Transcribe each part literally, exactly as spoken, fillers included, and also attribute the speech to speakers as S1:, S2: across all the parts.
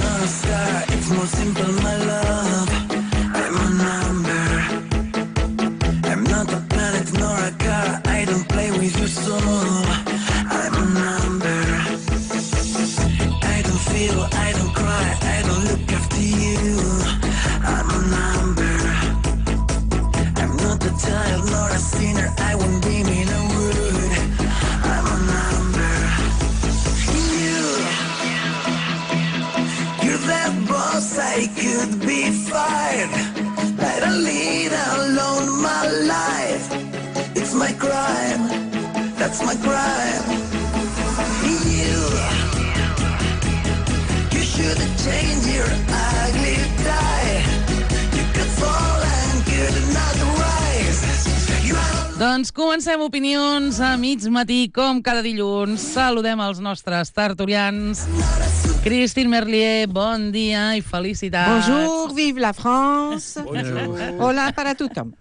S1: not a star, it's more simple, my love. I'm a number. I'm not a planet nor a car, I don't play with your soul. I'm a number. I don't feel, I don't cry, I don't look after you. I'm a number. I'm not a child nor a sinner, I won't be mean or rude. I'm a number. You, you're that boss, I could be fired. I don't lead alone my life. It's my crime, that's my crime. You, you should change your ugly tie. You could fall and could not rise. You are...
S2: Doncs comencem opinions a mig matí, com cada dilluns. Saludem els nostres tertulians. Christine Merlier, bon dia i felicitats.
S3: Bonjour, vive la France.
S4: Bonjour.
S3: Hola para tothom.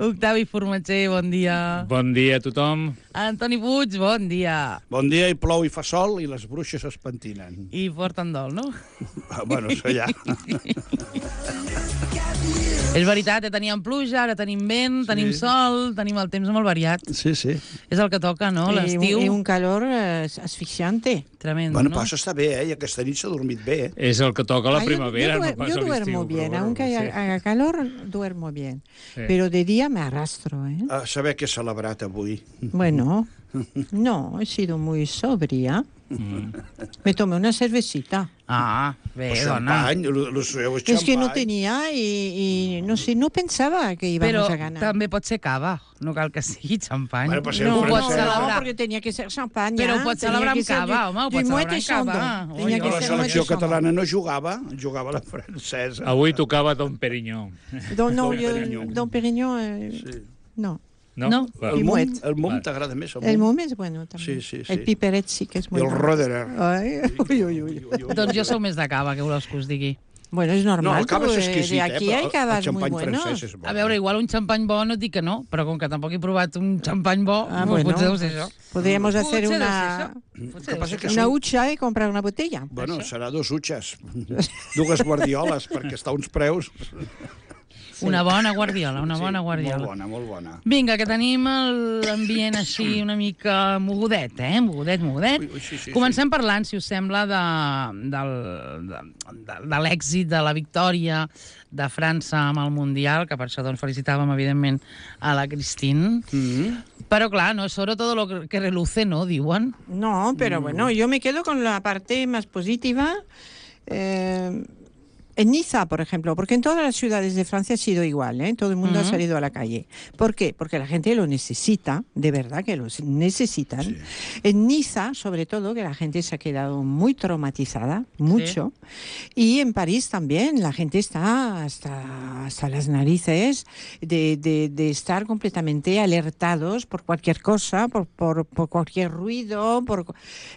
S2: Octavi Formatger, bon dia.
S4: Bon dia a tothom.
S2: Antoni Puig, bon dia.
S5: Bon dia, i plou i fa sol i les bruixes es pentinen.
S2: I porten dol, no?
S5: Bueno, això ja.
S2: És veritat, eh? Teníem pluja, ara tenim vent, sí. Tenim sol, tenim el temps molt variat.
S5: Sí, sí.
S2: És el que toca, no? L'estiu.
S3: I un calor eh, asfixiante.
S2: Tremendo,
S5: Bueno,
S2: no?
S5: però està bé, eh? I aquesta nit s'ha dormit bé, eh?
S4: És el que toca a la
S3: Ah,
S4: primavera,
S3: yo, yo,
S4: no passa
S3: yo duermo
S4: l'estiu.
S3: bien,
S4: però,
S3: aunque
S4: sí.
S3: haya, haga calor, duermo bien.
S4: Sí.
S3: Pero de día me arrastro, ¿eh?
S5: A saber què he celebrat avui.
S3: Bueno, no, he sido muy sobria.
S4: Mm.
S3: Me tomé una cervecita.
S2: Ah, bé,
S5: El
S2: dona.
S5: xampany, el, el seu
S3: Es que
S5: xampany.
S3: no tenía y, y no sé, no pensaba que íbamos
S2: Però
S3: a ganar.
S2: també pot ser cava, no cal que sigui xampany.
S5: Bueno, pues ser
S3: No,
S2: ho pots
S3: no,
S2: celebrar.
S3: no, porque tenía que ser champaña.
S2: Però ho pots
S3: tenía
S2: celebrar
S3: que
S2: amb
S3: ser
S2: cava,
S3: du-
S2: home, ho
S3: du
S2: pots
S3: Moët
S2: celebrar amb cava.
S3: Chandon. Tenía
S2: Oi,
S3: que
S5: La
S3: ser
S5: selecció
S3: Moët Chandon.
S5: catalana no jugava, jugava la francesa.
S4: Avui tocava Don Perignon.
S3: Don, no,
S5: Don
S3: yo-
S5: Perignon.
S3: Don Perignon, eh,
S5: Sí.
S3: no.
S4: No?
S2: No.
S4: Va.
S5: El
S3: I
S5: mum,
S3: Moët.
S5: el mum
S4: Vale.
S5: t'agrada més, el
S3: El
S5: mum?
S3: mum es bueno también.
S5: Sí, sí, sí.
S3: El piperet sí que es
S5: I
S3: bueno.
S5: el Roderer.
S3: Ay, uy, uy, uy.
S2: Doncs jo sou més de cava, què voleu que us digui?
S3: Bueno, es normal.
S5: No, el cava
S3: tú,
S5: és
S3: eh,
S5: exquisit,
S3: de
S5: eh?
S3: aquí
S5: Però
S3: hay
S5: el
S3: cavas muy
S5: xampany
S3: buenos.
S5: francès és bo.
S2: A veure, igual un xampany bo no et dic que no, però com que tampoc he provat un xampany bo,
S3: Ah,
S2: doncs
S3: bueno,
S2: potser deu ser això.
S3: podríamos hacer
S2: Potser deu
S3: una,
S2: ser això. Potser
S5: que
S2: deu
S5: passa
S2: ser
S5: que
S2: això.
S3: una
S5: són-
S3: hucha y comprar una botella.
S5: Bueno, serà dos utxes, dues guardioles, perquè està a uns preus...
S2: Una bona guardiola, una bona guardiola.
S5: Molt bona, molt bona.
S2: Vinga, que tenim l'ambient així una mica mogudet, eh? Mogudet, mogudet.
S5: Ui, ui, sí, sí,
S2: Comencem parlant, si us sembla, de, del, de, de, de l'èxit, de la victòria de França amb el Mundial, que per això doncs, felicitàvem, evidentment, a la Christine.
S5: Mm-hmm.
S2: Però, clar, no és sobre todo lo que reluce, no, diuen?
S3: No, pero
S5: Mm.
S3: bueno, yo me quedo con la parte más positiva. Eh, en Niza, por ejemplo, porque en todas las ciudades de Francia ha sido igual, ¿eh? Todo el mundo
S2: Ujú.
S3: ha salido a la calle. ¿Por qué? Porque la gente lo necesita, de verdad que lo necesitan.
S5: Sí.
S3: En Niza, sobre todo, que la gente se ha quedado muy traumatizada, mucho. Y en París también, la gente está hasta, hasta las narices de, de, de estar completamente alertados por cualquier cosa, por, por, por cualquier ruido. Por,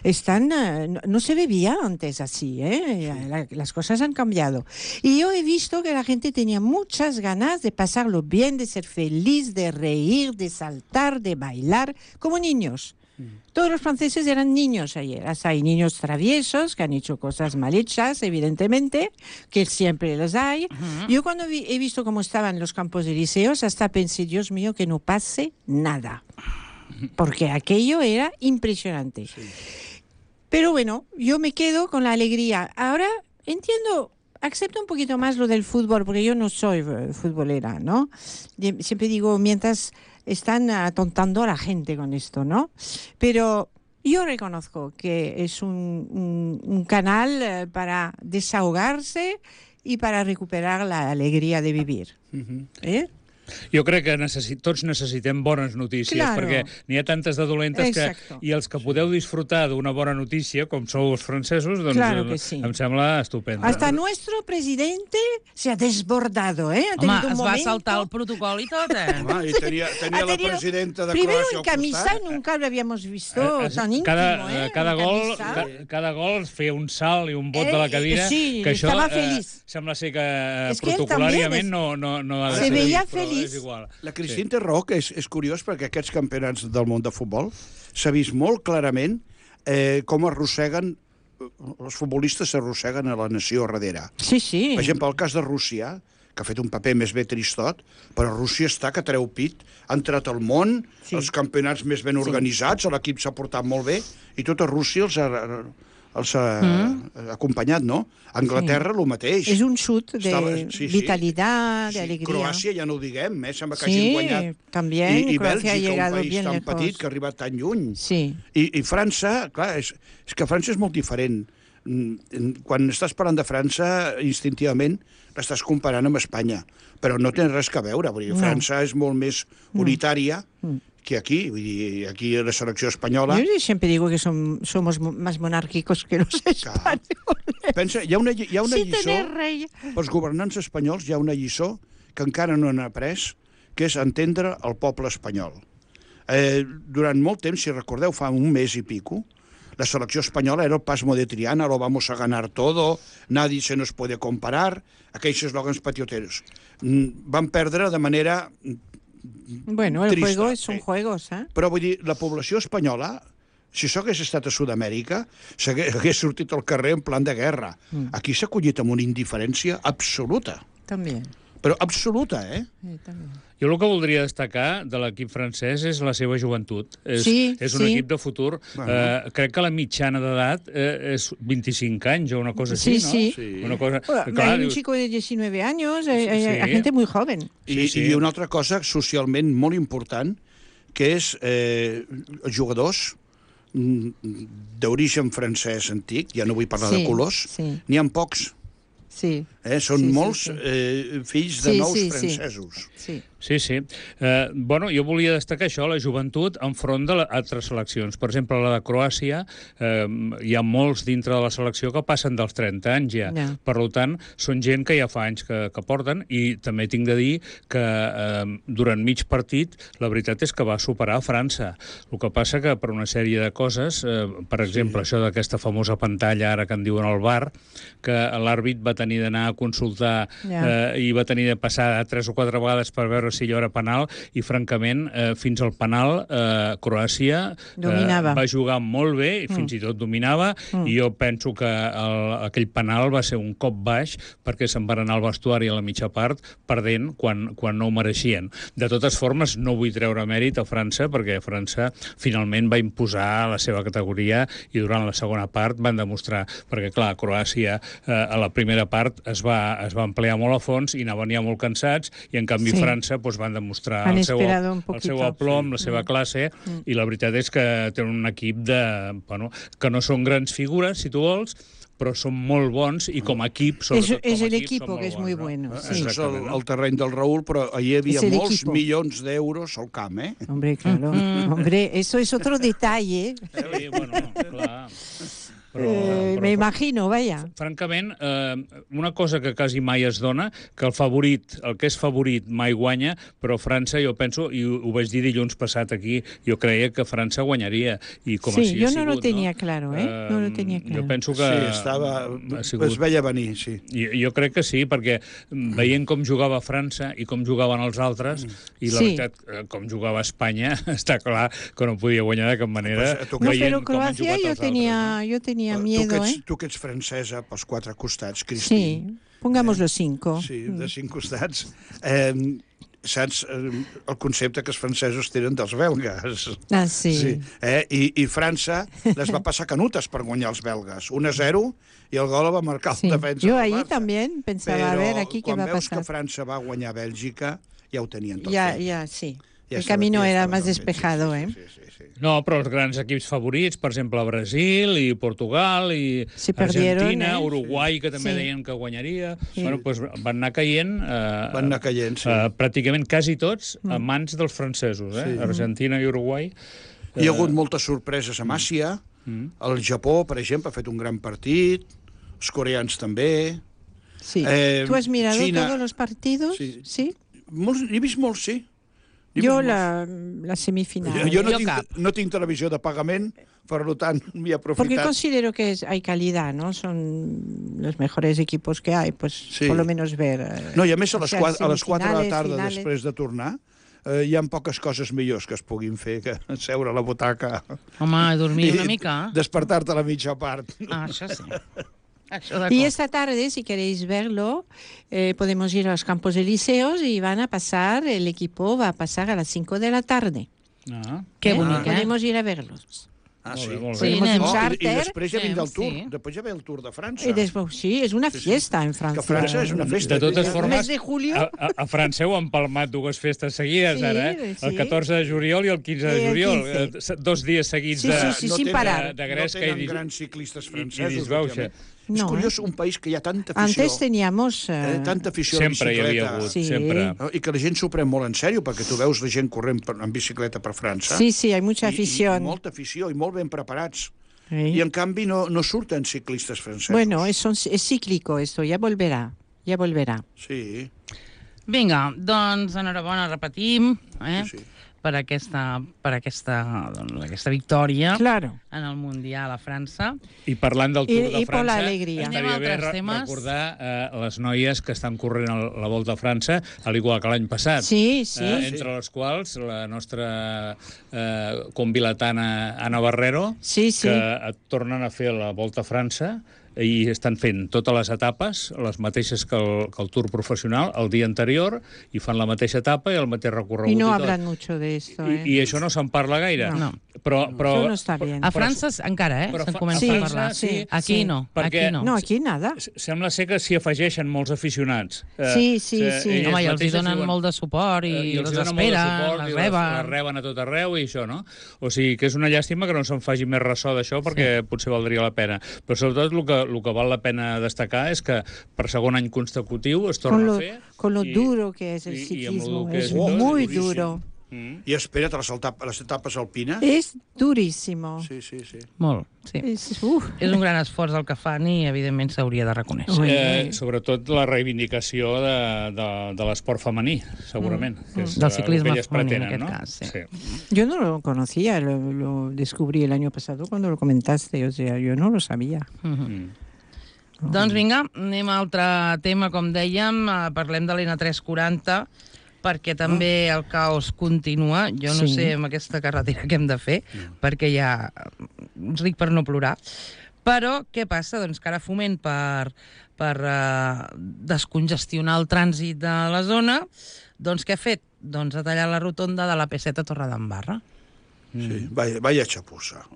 S3: están, eh, no, no se bebía antes así, ¿eh? La- las cosas han cambiado. Y yo he visto que la gente tenía muchas ganas de pasarlo bien, de ser feliz, de reír, de saltar, de bailar, como niños. Todos los franceses eran niños ayer. Hasta hay niños traviesos que han hecho cosas mal hechas, evidentemente, que siempre los hay. Yo cuando vi- he visto cómo estaban los campos elíseos, hasta pensé, Dios mío, que no pase nada. Porque aquello era impresionante. Pero bueno, yo me quedo con la alegría. Ahora entiendo... Acepto un poquito más lo del fútbol, porque yo no soy eh, futbolera, ¿no? Y siempre digo, mientras están atontando a la gente con esto, ¿no? Pero yo reconozco que es un, un, un canal eh, para desahogarse y para recuperar la alegría de vivir. ¿Eh?
S4: Jo crec que necessit, tots necessitem bones notícies,
S3: Claro.
S4: perquè n'hi ha tantes de dolentes que...
S3: Exacto.
S4: I els que podeu disfrutar d'una bona notícia, com sou els francesos, doncs
S3: Claro
S4: eh,
S3: que sí.
S4: em sembla estupendo.
S3: Hasta nuestro presidente se ha desbordado, ¿eh? Ha
S2: Home,
S3: tenido un
S2: es va
S3: momento...
S2: saltar el protocol i tot, eh?
S5: Home, i tenia, tenia
S3: Ha
S5: la
S3: tenido-
S5: presidenta de
S3: Primero
S5: Croàcia
S3: en
S5: al
S3: camisa,
S5: costat.
S3: nunca lo habíamos visto
S4: Eh, eh,
S3: tan íntimo,
S4: cada,
S3: ¿eh?
S4: cada
S3: En
S4: gol,
S3: camisa.
S4: ca, cada gol es feia un salt i un bot
S3: Eh,
S4: de la cadira,
S3: sí,
S4: que això
S3: estava
S4: eh,
S3: feliç.
S4: sembla ser que eh,
S3: És que ell
S4: protocolàriament
S3: també és-
S4: no, no, no ha de
S3: Se
S4: ser
S3: veia
S4: així, però
S3: feliç.
S4: és igual.
S5: La Cristina té raó, que és, és curiós, perquè aquests campionats del món de futbol s'ha vist molt clarament eh, com arrosseguen els futbolistes s'arrosseguen a la nació darrere.
S3: Sí, sí.
S5: Per exemple, el cas de Rússia, que ha fet un paper més bé tristot, però Rússia està que treu pit, ha entrat al món,
S3: Sí.
S5: els campionats més ben organitzats, l'equip s'ha portat molt bé, i tota Rússia els ha, els ha mm. acompanyat, no? Anglaterra, sí. el mateix.
S3: És un xut de
S5: Estava- sí, sí.
S3: vitalitat, de
S5: Sí,
S3: alegria.
S5: Croàcia ja no ho diguem, eh? Sembla que
S3: Sí,
S5: hagin guanyat.
S3: también,
S5: I, i
S3: Croacia ha
S5: Bèlgica,
S3: llegado
S5: un país
S3: bien
S5: tan
S3: lejos.
S5: petit que ha arribat tan lluny.
S3: Sí.
S5: I, i França, clar, és, és que França és molt diferent. Mm, Quan estàs parlant de França, instintivament l'estàs comparant amb Espanya, però no té res que veure. Vull dir,
S3: No.
S5: França és molt més unitària que aquí. Vull dir, aquí la selecció espanyola...
S3: Yo siempre digo que son, somos mo- más monárquicos que los españoles.
S5: Pensa, hi ha una, hi ha una
S3: Sí,
S5: lliçó...
S3: tener rey.
S5: Pels governants espanyols hi ha una lliçó que encara no han après, que és entendre el poble espanyol. Eh, durant molt temps, si recordeu, fa un mes i pico, la selecció espanyola era el pasmo de Triana, lo vamos a ganar todo, nadie se nos puede comparar, aquells eslògans patioteros. Mm, Van perdre de manera...
S3: Bueno, el
S5: Trista,
S3: juego son
S5: sí.
S3: juegos, ¿eh?
S5: Però vull dir, la població espanyola, si això hagués estat a Sud-amèrica, s'hagués hagués sortit al carrer en plan de guerra. Aquí s'ha acollit amb una indiferència absoluta.
S3: También.
S5: Però absoluta, eh?
S3: Sí, también.
S4: Jo el que voldria destacar de l'equip francès és la seva joventut. És,
S3: Sí,
S4: és un
S3: sí.
S4: equip de futur.
S5: Bueno.
S4: Eh, crec que la mitjana d'edat eh, és vint-i-cinc anys o una cosa
S3: Sí,
S4: així, no?
S3: sí.
S5: Sí.
S4: Una cosa...
S3: Bueno,
S4: que, clar,
S3: hay un
S4: dius,
S3: chico de diecinueve años, hay, hay- hay
S4: Sí.
S3: gente muy joven.
S5: I,
S4: Sí, sí.
S5: I una altra cosa socialment molt important, que és eh, els jugadors mm, d'origen francès antic, ja no vull parlar
S3: Sí,
S5: de colors,
S3: sí.
S5: n'hi ha pocs.
S3: Sí,
S5: Eh? Són
S3: Sí, sí,
S5: molts
S3: sí.
S5: Eh, fills de
S3: Sí,
S5: nous
S3: sí, sí.
S5: francesos.
S3: sí.
S4: Sí, sí. Eh, bueno, jo volia destacar això, la joventut, enfront de la, altres seleccions. Per exemple, la de Croàcia, eh, hi ha molts dintre de la selecció que passen dels trenta anys ja.
S3: Ja.
S4: Per tant, són gent que ja fa anys que, que porten, i també tinc de dir que eh, durant mig partit la veritat és que va superar a França. El que passa que per una sèrie de coses, eh, per exemple, sí. això d'aquesta famosa pantalla ara que en diuen al V A R, que l'àrbit va tenir d'anar a consultar
S3: Ja.
S4: eh, i va tenir de passar tres o quatre vegades per veure si allò era penal, i francament eh, fins al penal eh, Croàcia eh,
S3: Dominava.
S4: va jugar molt bé i fins i tot dominava, i jo penso que el, aquell penal va ser un cop baix perquè se'n van anar al vestuari a la mitja part perdent quan, quan no ho mereixien. De totes formes, no vull treure mèrit a França, perquè França finalment va imposar la seva categoria i durant la segona part van demostrar, perquè clar, Croàcia eh, a la primera part es va, es va emplear molt a fons i anaven ja molt cansats, i en canvi
S3: Sí.
S4: França doncs, van demostrar
S3: Han
S4: el seu,
S3: esperado un
S4: el
S3: poquito.
S4: seu aplom, la seva classe, i la veritat és que tenen un equip de, bueno, que no són grans figures, si tu vols, però són molt bons, i com a equip, sobretot
S3: Es
S4: com a
S3: el
S4: equip,
S3: equipo
S4: són molt
S3: que es
S4: bons,
S3: muy
S4: no?
S3: bueno,
S4: Eh,
S3: sí.
S5: Això és el,
S4: Exactament, no?
S5: el terreny del Raül, però hi havia
S3: És el
S5: molts
S3: equipo.
S5: milions d'euros al camp, eh?
S3: Hombre, claro. Hombre, eso es otro detalle.
S4: Sí, bueno, clar. Però,
S3: Eh,
S4: però,
S3: me imagino, vaya.
S4: francament, eh, una cosa que quasi mai es dona, que el favorit, el que és favorit mai guanya, però França, jo penso, i ho, ho vaig dir dilluns passat aquí, jo creia que França guanyaria, i com
S3: Sí,
S4: així
S3: jo
S4: ha
S3: no
S4: sigut,
S3: lo tenía claro, eh? No lo tenía claro.
S4: Jo penso que...
S5: Sí, estava...
S4: ha sigut...
S5: Es veia venir, sí.
S4: Jo, jo crec que sí, perquè veient com jugava França i com jugaven els altres, i la
S3: Sí.
S4: veritat, eh, com jugava Espanya, està clar que no podia guanyar de cap manera.
S5: Pues, tu
S3: No,
S5: Veient
S3: pero
S4: com han
S3: Croacia
S4: jugat
S3: yo
S4: els
S3: tenía,
S4: altres,
S3: yo tenía
S5: tu,
S3: miedo,
S5: que ets,
S3: ¿eh?
S5: tu que ets francesa pels quatre costats,
S3: Sí,
S5: Cristín.
S3: pongamos los cinco.
S5: Sí, de cinc costats. Eh, saps eh, el concepte que els francesos tenen dels belgues?
S3: Ah, sí.
S5: Sí, eh? I, I França les va passar canutes per guanyar els belgues. un a zero, i el gol el va marcar
S3: Sí.
S5: el defensa
S3: Yo
S5: del
S3: ahí
S5: Barça.
S3: también pensaba,
S5: Però
S3: a ver, aquí qué
S5: quan
S3: va a
S5: veus
S3: pasar.
S5: que França va guanyar Bèlgica, ja ho tenien tot
S3: Ya,
S5: fet.
S3: ya, sí.
S5: Ja
S3: El
S5: estava-
S3: camino
S5: ja
S3: era
S5: estava
S3: más
S5: tot fet,
S3: despejado,
S5: sí,
S3: ¿eh?
S5: sí, sí, sí, sí.
S4: No, però els grans equips favorits, per exemple, Brasil i Portugal i
S3: Se perdieron,
S4: Argentina,
S3: eh?
S4: Uruguai, que també
S3: Sí.
S4: deien que guanyaria,
S3: Sí.
S4: bueno, doncs van anar caient, eh,
S5: Van anar caient, sí.
S4: eh, pràcticament quasi tots a mans dels francesos, eh?
S5: Sí.
S4: Argentina i Uruguai.
S5: Hi ha hagut moltes sorpreses a Àsia. El Japó, per exemple, ha fet un gran partit. Els coreans també.
S3: Sí.
S5: Eh,
S3: ¿Tú has mirado
S5: China-
S3: todos los partidos?
S5: Sí.
S3: Sí.
S5: Molts, n'he vist molts, sí. N'he
S3: Yo
S5: vist
S3: la, la semifinal.
S5: molts. Jo, jo no,
S2: Jo
S5: tinc,
S2: cap.
S5: no tinc televisió de pagament, per tant, m'hi he
S3: Porque
S5: aprofitat.
S3: considero que es- hay calidad, ¿no? Son los mejores equipos que hay, pues
S5: Sí.
S3: por lo menos ver. eh,
S5: No, i a més, a
S3: o
S5: les,
S3: sea,
S5: quatre, a les quatre de la
S3: semifinales,
S5: tarda,
S3: finales.
S5: després de tornar, eh, hi ha poques coses millors que es puguin fer que seure a la butaca
S2: Home, dormir
S5: i
S2: una mica.
S5: despertar-te a la mitja part.
S2: Ah, això sí. Això
S3: Y esta tarde, si queréis verlo, eh, podemos ir a los Campos Elíseos y van a pasar, el equipo va a pasar a las cinco de la tarde.
S4: Ah.
S2: Que
S3: ¿Eh?
S2: bonic, eh?
S3: Podemos ir a verlos.
S5: Ah,
S4: Molt
S5: sí.
S4: bé, molt bé.
S2: Sí,
S3: Podemos
S2: anem.
S3: un
S5: Oh, i, I
S3: charter.
S5: després ja vindrà el Tour.
S2: Sí.
S5: Després ja ve el Tour de França.
S3: Y después, sí, es una
S5: Sí, sí.
S3: fiesta en Francia.
S5: Que França és una festa.
S4: De totes
S5: Ja-
S4: formes,
S3: mes de julio.
S4: A, a, a França heu empalmat dues festes seguides,
S3: Sí,
S4: ara, eh?
S3: sí.
S4: El catorze de juliol i el quinze de
S3: I el
S4: juliol.
S3: quinze.
S4: Eh, se- Dos dies seguits
S3: Sí,
S4: de,
S3: sí, sí,
S5: no
S3: sin
S5: tenen-
S3: parar.
S4: de, de Gresca
S5: no
S4: i,
S5: tenen
S4: dis-
S5: grans ciclistes
S4: i, i
S5: francesos.
S4: disbauxa.
S5: últimament.
S3: No,
S5: és curiós,
S3: eh?
S5: un país que hi ha tanta afició,
S3: Antes teníamos... eh,
S5: eh, tanta afició a la
S4: Sempre hi
S5: bicicleta.
S4: havia hagut,
S3: Sí.
S4: sempre.
S5: No? I que la gent s'ho pren molt en sèrio, perquè tu veus la gent corrent per, en bicicleta per França.
S3: Sí, sí, hay mucha
S5: I-
S3: afición.
S5: I, i molta afició, i molt ben preparats.
S3: Sí.
S5: I, en canvi, no, no surten ciclistes francesos.
S3: Bueno, es, son- es cíclico esto, ya volverá, ya volverà.
S5: Sí,
S2: Vinga, doncs enhorabona, repetim, eh?
S5: sí, sí.
S2: per aquesta, per aquesta, doncs, aquesta victòria
S3: Claro.
S2: en el Mundial a França.
S4: I parlant del Tour
S3: I-
S4: de
S3: i per
S4: França,
S3: l'alegria.
S2: Anem a
S4: estaria bé
S2: altres
S4: re
S2: temes.
S4: recordar eh, les noies que estan corrent el, la Volta a França, al igual que l'any passat.
S3: Sí, sí.
S4: Eh, entre les quals la nostra eh, convilatana Anna Barrero,
S3: Sí, sí.
S4: que et tornen a fer la Volta a França i estan fent totes les etapes, les mateixes que el, que el Tour professional, el dia anterior, i fan la mateixa etapa i el mateix recorregut.
S3: Y no
S4: i tot.
S3: hablan mucho de esto,
S4: I,
S3: ¿eh?
S4: I això no se'n parla gaire.
S2: No.
S4: Però, però,
S3: Eso no está bien.
S2: A França encara, eh?
S4: però
S2: Se'n
S4: fa-
S2: comença
S3: Sí,
S2: a parlar.
S3: sí,
S2: Aquí
S3: sí.
S2: no,
S4: Perquè-
S2: aquí no.
S3: No, aquí nada.
S4: S- Sembla ser que s'hi afegeixen molts aficionats. Eh,
S3: Sí, sí,
S4: eh,
S3: sí.
S4: elles
S2: Home, i els hi
S4: mateixes
S2: donen
S4: diuen-
S2: molt de suport i,
S4: eh,
S2: i
S4: els
S2: les
S4: hi donen molt de
S2: esperen,
S4: suport
S2: les
S4: i
S2: reben.
S4: Les reben a tot arreu i això, no? O sigui, que és una llàstima que no se'n faci més ressò d'això perquè sí. potser valdria la pena. Però sobretot el que, el que val la pena destacar és que per segon any consecutiu es torna
S3: Con lo,
S4: a fer.
S3: con lo
S4: i-
S3: duro que es el
S4: i- i amb lo
S3: ciclismo.
S4: que
S3: Es
S4: és tot,
S3: muy
S5: duríssim.
S3: duro.
S4: Mm.
S5: I espera't a les, etapes, les etapes alpines.
S3: Es durísimo.
S5: Sí, sí, sí.
S2: Molt, sí.
S3: Es, uf.
S2: És un gran esforç el que fan i, evidentment, s'hauria de reconèixer.
S3: Ui.
S4: Eh, sobretot la reivindicació de, de, de l'esport femení, segurament. Que és
S2: Del
S4: el
S2: ciclisme
S4: que elles
S2: femení, en
S4: pretenen,
S2: aquest
S4: no?
S2: cas, sí.
S4: sí.
S3: Yo no lo conocía, lo, lo descubrí el año pasado cuando lo comentaste, o sea, yo no lo sabía.
S4: Mm.
S2: Doncs vinga, anem a altre tema, com dèiem, eh, parlem de l'N tres quaranta, perquè també el caos continua. Jo no
S3: Sí.
S2: sé amb aquesta carretera què hem de fer, perquè ja ric per no plorar. Però què passa? Doncs que ara Foment, per, per uh, descongestionar el trànsit de la zona, doncs què ha fet? Doncs ha tallat la rotonda de la P set a Torredembarra.
S5: Sí, vaya, vaya xapussa.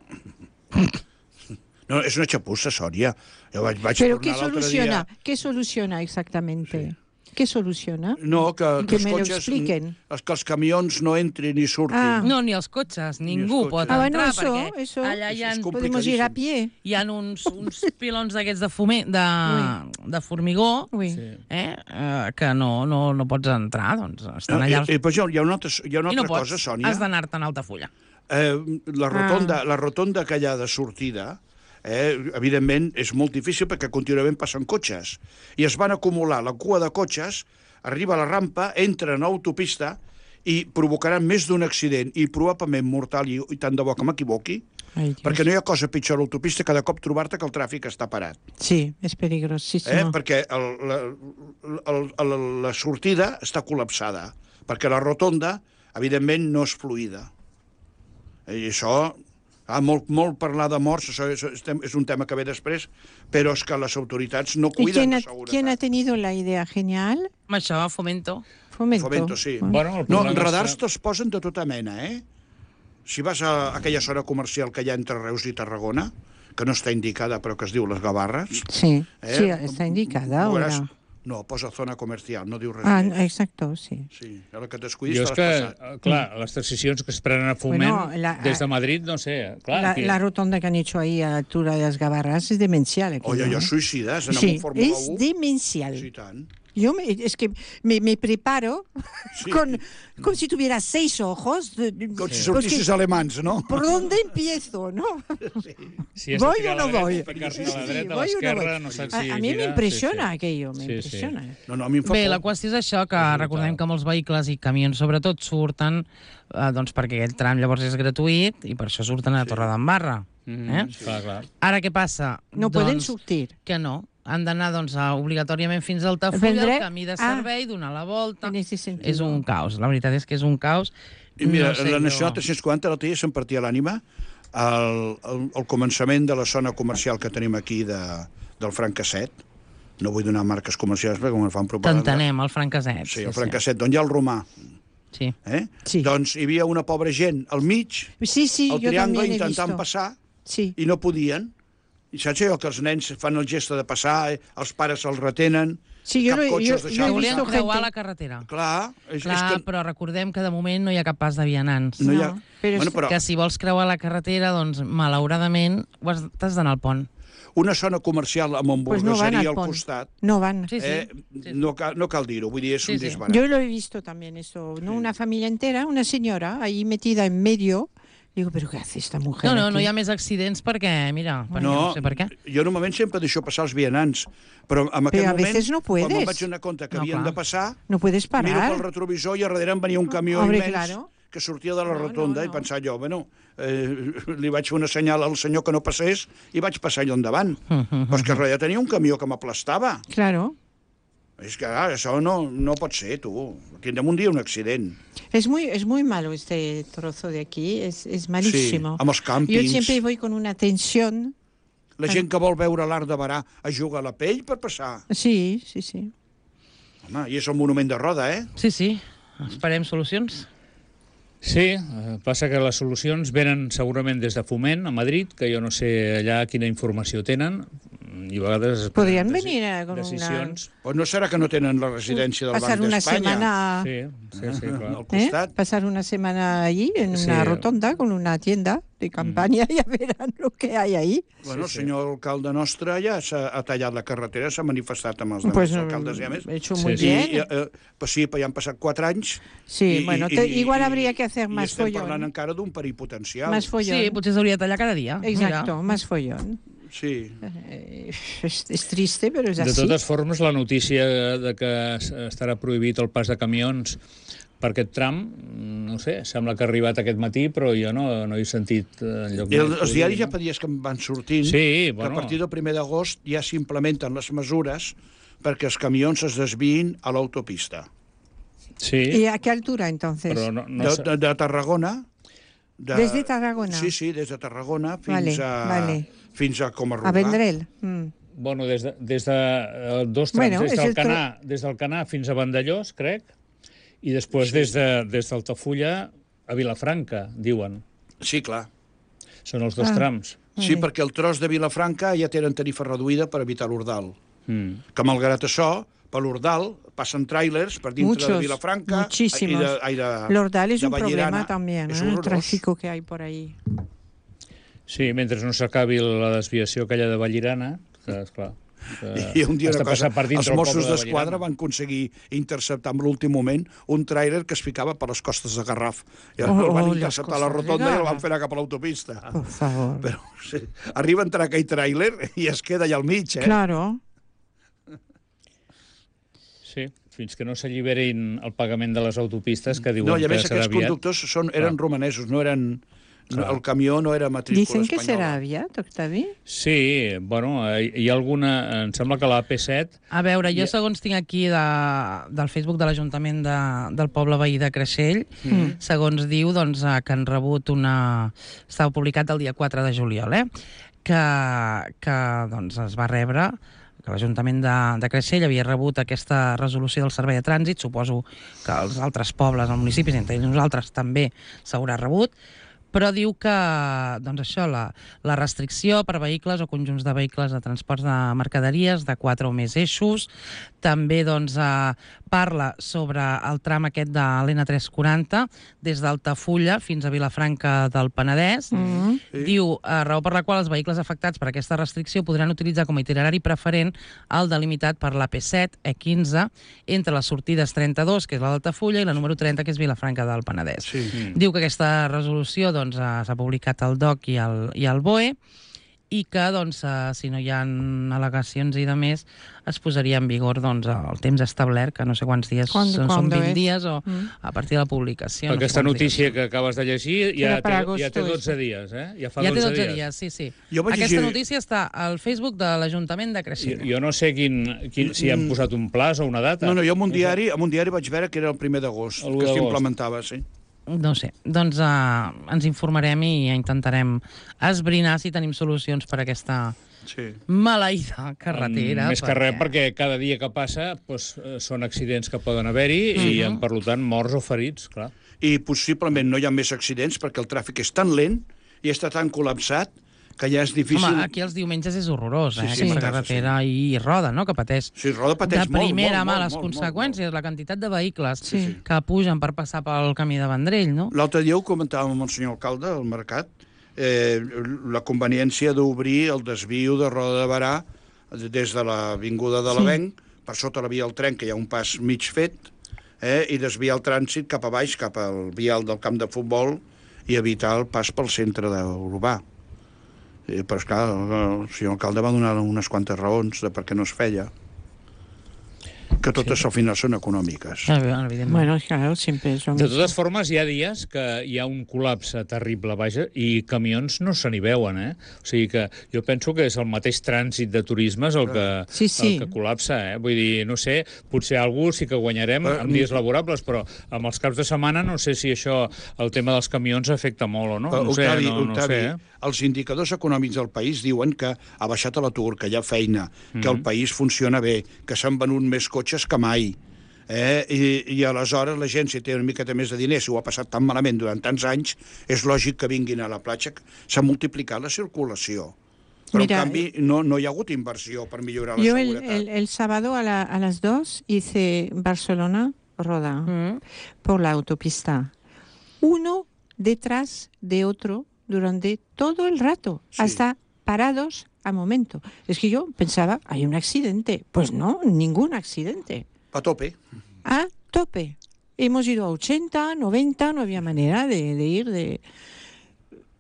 S5: No, és una xapussa, Sònia. Jo vaig, vaig
S3: Pero
S5: tornar
S3: ¿qué
S5: l'altre
S3: soluciona?
S5: dia...
S3: ¿Qué soluciona exactamente? ¿Qué soluciona?
S5: No, que, que,
S3: Que
S5: els
S3: me lo
S5: cotxes,
S3: expliquen.
S5: els, que els camions no entrin i surtin.
S3: Ah.
S2: No, ni els cotxes, ningú
S5: els
S2: pot
S5: cotxes.
S3: Ah, bueno,
S2: entrar,
S3: eso,
S2: perquè
S3: eso.
S2: allà hi ha,
S5: Això és com-
S3: Podemos ir a pie.
S2: hi ha uns, uns pilons d'aquests de, foment, de, de formigó
S3: Uy.
S4: Sí.
S2: eh, eh, que no, no, no pots entrar, doncs estan
S5: No,
S2: allà...
S5: i, i, però hi ha una altra, hi ha una
S2: I no
S5: altra
S2: pots,
S5: cosa, Sònia.
S2: has d'anar-te'n a Altafulla.
S5: Eh, la, rotonda, la rotonda aquella de sortida, eh, evidentment, és molt difícil perquè contínuament passen cotxes. I es van acumular la cua de cotxes, arriba a la rampa, entren a l'autopista i provocaran més d'un accident, i probablement mortal, i, i tant de bo que m'equivoqui,
S3: Ay, Dios.
S5: perquè no hi ha cosa pitjor a l'autopista cada cop trobar-te que el tràfic està parat.
S3: Sí, es peligrosísimo.
S5: Eh? Perquè el, la, el, el, la sortida està col·lapsada, perquè la rotonda, evidentment, no és fluida. I això, ah, molt, molt parlar de morts, això és, és un tema que ve després, però és que les autoritats no
S3: ¿Y
S5: cuiden
S3: quién
S5: de
S3: ha,
S5: seguretat.
S3: quién ha tenido la idea genial?
S2: Amb això, Fomento.
S3: Fomento.
S5: Fomento, sí.
S3: Ah.
S4: Bueno, el
S5: No,
S4: problema
S5: radars
S4: és que-
S5: te'ls posen de tota mena, eh? Si vas a aquella zona comercial que hi ha entre Reus i Tarragona, que no està indicada però que es diu Les Gavarres...
S3: Sí,
S5: eh?
S3: sí, está indicada
S5: veuràs-
S3: ahora.
S5: No, posa zona comercial, no diu res
S3: Ah,
S5: més.
S3: exacto, sí.
S5: Sí, a la que t'escuidis
S4: Jo és
S5: te
S4: que,
S5: l'has passat.
S4: eh, clar, les decisions que es prenen a Foment
S3: Bueno, la-
S4: des de Madrid, no sé, clar...
S3: La,
S4: que-
S3: la rotonda que han hecho ahí a la altura de las Gavarras es demencial. aquello,
S5: Oye,
S3: ¿eh?
S5: allò suïcides, anar
S3: Sí,
S5: amb un Fórmula
S3: es
S5: u.
S3: demencial.
S5: Sí, tant.
S3: Yo me- es que me, me preparo
S5: Sí.
S3: con, como si tuviera seis ojos. de- de-
S5: Com si
S3: porque-
S5: sortissis alemans, no?
S3: ¿Por dónde empiezo, no?
S4: Si has de
S3: ¿Voy
S4: tirar
S3: o no
S4: a la
S3: voy?
S4: dreta, ficar-te a la
S3: Sí,
S4: dreta, a
S3: voy o no
S4: l'esquerra,
S3: voy?
S4: no saps
S3: A,
S4: si
S3: a mí me
S4: girar.
S3: impresiona
S4: Sí, sí.
S3: aquello, me
S4: Sí, sí.
S3: impresiona.
S5: No, no, a mi em fa
S2: Bé,
S5: por.
S2: la qüestió és això, que
S4: És
S2: recordem
S4: brutal.
S2: que molts vehicles i camions, sobretot, surten eh, doncs perquè aquell tram llavors és gratuït i per això surten a Torredembarra.
S4: Mhm,
S2: Eh?
S4: Clar, clar.
S2: Ara què passa?
S3: No
S2: doncs,
S3: pueden surtir.
S2: Que no, han d'anar doncs, a, obligatòriament fins al Tafulla,
S3: Vendré-
S2: el camí de
S3: Ah.
S2: servei, donar la volta...
S3: En ese sentido.
S2: És un caos, la veritat és que és un caos.
S5: I mira,
S2: No sé
S5: la
S2: jo-
S5: Nacional tres cents quaranta l'altre dia se'm partia l'ànima al, al, al començament de la zona comercial que tenim aquí de, del Francasset. No vull donar marques comercials perquè me fan propaganda.
S2: T'entenem, el Francasset.
S5: Sí, el Francasset, d'on hi ha el romà.
S2: Sí.
S5: Eh?
S3: Sí.
S5: Doncs hi havia una pobra gent al mig,
S3: Sí, sí,
S5: al
S3: yo
S5: triangle,
S3: también he
S5: intentant
S3: visto.
S5: passar,
S3: Sí.
S5: i no podien. I saps allò que els nens fan el gest de passar, eh? Els pares els retenen,
S3: Sí, jo
S5: cap
S3: lo-
S5: cotxe
S3: jo-
S5: els
S3: jo he
S5: deixava
S2: Que volien
S3: visto
S5: passar.
S2: creuar
S3: gente-
S2: la carretera.
S5: Clar, és,
S2: Clar,
S5: és que...
S2: però recordem que de moment no hi ha cap pas de vianants.
S5: No hi ha...
S3: No, però
S5: bueno,
S3: és-
S5: però
S2: Que si vols creuar la carretera, doncs, malauradament, ho has- t'has d'anar al pont.
S5: una zona comercial amb
S3: Pues no van
S5: hamburgueseria
S3: al
S5: al
S3: pont.
S5: costat,
S3: No van.
S2: Sí, sí.
S5: eh,
S2: sí.
S5: no, cal, no cal dir-ho, vull dir, és
S2: Sí,
S5: un
S2: sí.
S5: disbarat.
S3: Yo lo he visto también eso, ¿no? Una familia entera, una señora ahí metida en medio. Digo, ¿pero qué hace esta mujer?
S2: No, no,
S3: aquí?
S2: no hi ha més accidents perquè, mira, perquè
S5: No,
S2: no sé per què.
S5: jo normalment sempre deixo passar els vianants, però en aquell
S3: Però a
S5: moment,
S3: veces no
S5: quan me'n
S3: puedes.
S5: vaig donar compte que
S2: No,
S5: havien
S2: clar.
S5: de passar,
S3: No puedes
S5: miro pel
S3: parar.
S5: retrovisor i a darrere em venia un camió
S3: Hombre,
S5: immens
S3: claro.
S5: que sortia de la
S3: No, no,
S5: rotonda
S3: no.
S5: i pensava jo, bueno, eh, li vaig fer una senyal al senyor que no passés i vaig passar allò endavant. Però és que darrere tenia un camió que m'aplastava.
S3: Claro.
S5: És que, clar, això no, no pot ser, tu. Tindrem un dia un accident.
S3: Es muy, es muy malo este trozo de aquí, es, es malísimo.
S5: Sí, amb els càmpings.
S3: Yo siempre voy con una tensión.
S5: La gent que vol veure l'art de Barà es juga a la pell per passar.
S3: Sí, sí, sí.
S5: Home, i és el monument de Roda, eh?
S2: Sí, sí, esperem solucions.
S4: Sí, eh, passa que les solucions venen segurament des de Foment, a Madrid, que jo no sé allà quina informació tenen, i a vegades... es
S3: Podrien
S4: prenen
S3: venir a- con una-
S4: decisions.
S5: O no serà que no tenen la residència del
S3: Pasar
S5: Banc
S3: una
S5: d'Espanya
S3: semana,
S4: Sí, sí, sí, clar.
S5: al
S3: ¿eh?
S5: costat?
S3: Pasar una semana allí en
S4: Sí.
S3: una rotonda con una tienda de campaña y ya verán lo que hay ahí.
S5: Bueno, el
S4: Sí, sí.
S5: senyor alcalde nostre ja s'ha ha tallat la carretera, s'ha manifestat amb els
S3: Pues
S5: demés alcaldes i a més.
S3: he hecho
S4: Sí,
S3: muy
S4: sí.
S3: bien.
S5: I, eh, pues sí, però ja han passat quatre anys.
S3: Sí,
S5: i,
S3: bueno,
S5: i,
S3: te-
S5: i,
S3: igual
S5: i-
S3: habría que hacer
S5: i
S3: más
S5: estem
S3: follón.
S5: parlant encara d'un perill potencial.
S3: Más follón.
S2: Sí, potser s'hauria de tallar cada dia.
S3: Exacto,
S2: Mira.
S3: más follón.
S5: Sí.
S3: Eh, es, es triste, pero es
S4: De
S3: así.
S4: totes formes, la notícia de que es- estarà prohibit el pas de camions per aquest tram, no sé, sembla que ha arribat aquest matí, però jo no, no he sentit eh, enlloc
S5: I el,
S4: més.
S5: els diaris ja fa dies que em van sortint
S4: Sí,
S5: que
S4: bueno.
S5: a partir del primer d'agost ja s'implementen les mesures perquè els camions es desviïn a l'autopista.
S4: Sí,
S3: ¿Y a qué altura entonces?
S4: però no, no
S5: De,
S4: sé.
S5: de, de Tarragona... De,
S3: Desde Tarragona.
S5: Sí, sí, des de Tarragona fins
S3: Vale,
S5: a...
S3: vale.
S5: Fins a Comarruga.
S3: A Vendrell. Mm.
S4: Bueno, des de, des de eh, dos trams,
S3: Bueno,
S4: des,
S3: és
S4: del
S3: el tro-
S4: Canà, des del Canà fins a Vandellós, crec, i després sí. des, de, des d'Altafulla a Vilafranca, diuen.
S5: Sí, clar.
S4: Són els dos
S3: Ah.
S4: trams.
S5: Sí,
S3: Vale.
S5: perquè el tros de Vilafranca ja tenen tarifa reduïda per evitar l'Ordal.
S4: Mm.
S5: Que malgrat això, per l'Ordal passen tràilers per dintre
S3: Muchos,
S5: de Vilafranca
S3: muchísimos.
S5: i de, ai, de,
S3: L'Ordal es
S5: de
S3: un problema
S5: Vallirana.
S3: también,
S5: És
S3: ¿eh? el
S5: horrorós.
S3: tráfico que hay por ahí.
S4: Sí, mentre no s'acabi la desviació aquella de Vallirana, que, esclar, que
S5: I un dia
S4: has
S5: una
S4: de passar
S5: cosa,
S4: per dintre
S5: els
S4: el
S5: Mossos
S4: poble de
S5: d'Esquadra
S4: Vallirana.
S5: van aconseguir interceptar en l'últim moment un tràiler que es ficava per les costes de Garraf. I
S3: Oh,
S5: el van
S3: oh, les
S5: interceptar a la
S3: costes de
S5: rotonda i el
S3: Garraf.
S5: van fer anar cap a l'autopista.
S3: Por favor.
S5: Però sí, arriba a entrar aquell tràiler i es queda allà al mig, eh?
S3: Claro.
S4: Sí, fins que no s'alliberin el pagament de les autopistes, que diuen
S5: No, i a
S4: que
S5: més
S4: serà
S5: aquests
S4: aviat.
S5: conductors són, eren
S4: Clar.
S5: romanesos, no eren... No,
S4: Clar.
S5: el camió no era matrícula
S3: Dicen que será
S5: espanyola.
S3: aviat, Octavi.
S4: Sí, bueno, hi hi ha alguna... Em sembla que la A P set...
S2: A veure, jo
S4: I-
S2: segons tinc aquí de, del Facebook de l'Ajuntament de, del poble veí de Creixell,
S3: Mm.
S2: segons diu doncs, eh, que han rebut una... Estava publicat el dia quatre de juliol, eh? que, que doncs, es va rebre que l'Ajuntament de, de Creixell havia rebut aquesta resolució del Servei de Trànsit, suposo que els altres pobles, els municipis, entre ells nosaltres també s'haurà rebut, però diu que doncs això, la, la restricció per vehicles o conjunts de vehicles de transports de mercaderies de quatre o més eixos, també doncs, eh, parla sobre el tram aquest de l'N tres cents quaranta, des d'Altafulla fins a Vilafranca del Penedès.
S3: Mm.
S5: Sí.
S2: Diu, eh, raó per la qual els vehicles afectats per aquesta restricció podran utilitzar com a itinerari preferent el delimitat per l'A P set, E quinze, entre les sortides trenta-dos, que és la d'Altafulla, i la número trenta, que és Vilafranca del Penedès.
S5: Sí.
S4: Mm.
S2: Diu que aquesta resolució doncs, eh, s'ha publicat al D O C i al, i al B O E i que, doncs, eh, si no hi ha al·legacions i de més, es posaria en vigor doncs, el temps establert, que no sé quants dies
S3: Cuando-
S2: són, són
S3: cuando
S2: vint
S3: es?
S2: dies o
S3: Mm.
S2: a partir de la publicació. no sé
S4: Aquesta
S2: quants
S4: notícia
S2: dies.
S4: que acabes de llegir ja
S3: Era para
S4: té, ja té
S3: agosto,
S4: dotze
S3: eso.
S4: dies, eh? Ja fa
S2: Ja té
S4: dotze
S2: dotze
S4: dies.
S2: dies, sí, sí.
S5: Jo vaig
S2: Aquesta
S5: llegir-
S2: notícia està al Facebook de l'Ajuntament de
S4: Jo,
S2: Creixell.
S4: jo no sé quin, quin, si han posat un plaç o una data.
S5: No, no, jo en un diari, en un diari vaig veure que era el primer d'agost,
S4: El u
S5: que
S4: d'agost.
S5: s'implementava, sí.
S2: No sé, doncs uh, ens informarem i intentarem esbrinar si tenim solucions per a aquesta
S5: Sí.
S2: maleïda carretera.
S4: Mm, Més que res perquè cada dia que passa doncs, eh, són accidents que poden haver-hi i, en, per tant, morts o ferits, clar.
S5: I possiblement no hi ha més accidents perquè el tràfic és tan lent i està tan col·lapsat que ja és difícil...
S2: Home, aquí els diumenges és horrorós, eh?
S5: Sí, sí,
S2: Aquesta
S5: sí.
S2: carretera i, i roda, no?, que pateix.
S5: Sí, Roda pateix
S2: de
S5: molt,
S2: primera
S5: molt,
S2: mà
S5: molt,
S2: les
S5: molt, molt,
S2: conseqüències, la quantitat de vehicles
S3: Sí.
S2: que pugen per passar pel camí de Vendrell, no?
S5: L'altre dia ho comentàvem amb el senyor alcalde al mercat, eh, la conveniència d'obrir el desviu de Roda de Barà des de l'avinguda de l'Avenc, per sota la via del tren, que hi ha un pas mig fet, eh, i desviar el trànsit cap a baix, cap al vial del camp de futbol, i evitar el pas pel centre urbà. Eh, però, esclar, el senyor alcalde va donar unes quantes raons de per què no es feia, que totes sí. al final són econòmiques.
S2: Ah, evidentment.
S3: Bueno, claro, siempre es lo
S4: De
S3: mismo.
S4: totes formes, hi ha dies que hi ha un col·lapse terrible, vaja, i camions no se n'hi veuen, eh? O sigui que jo penso que és el mateix trànsit de turisme és el que,
S3: Sí, sí.
S4: el que col·lapsa, eh? Vull dir, no sé, potser algú sí que guanyarem
S5: Però,
S4: en dies laborables, però amb els caps de setmana no sé si això, el tema dels camions, afecta molt o no.
S5: Però,
S4: No sé,
S5: Octavi,
S4: no, no
S5: Octavi,
S4: sé, eh?
S5: els indicadors econòmics del país diuen que ha baixat l'atur, que hi ha feina, que
S4: Mm-hmm.
S5: el país funciona bé, que s'han venut més cotxes que mai. Eh? I, I aleshores la gent, si té una miqueta més de diners, si ho ha passat tan malament durant tants anys, és lògic que vinguin a la platja. S'ha multiplicat la circulació. Però,
S3: Mira,
S5: en canvi, no, no hi ha hagut inversió per millorar la
S3: Yo el,
S5: seguretat.
S3: el, el sábado a, la- a las dos hice Barcelona-Roda
S2: Mm.
S3: por la autopista. Uno detrás de otro durante todo el rato,
S5: Sí.
S3: hasta parados a momento. Es que yo pensaba, hay un accidente. Pues no, ningún accidente.
S5: A tope.
S3: A tope. Hemos ido a ochenta, noventa, no había manera de, de ir de...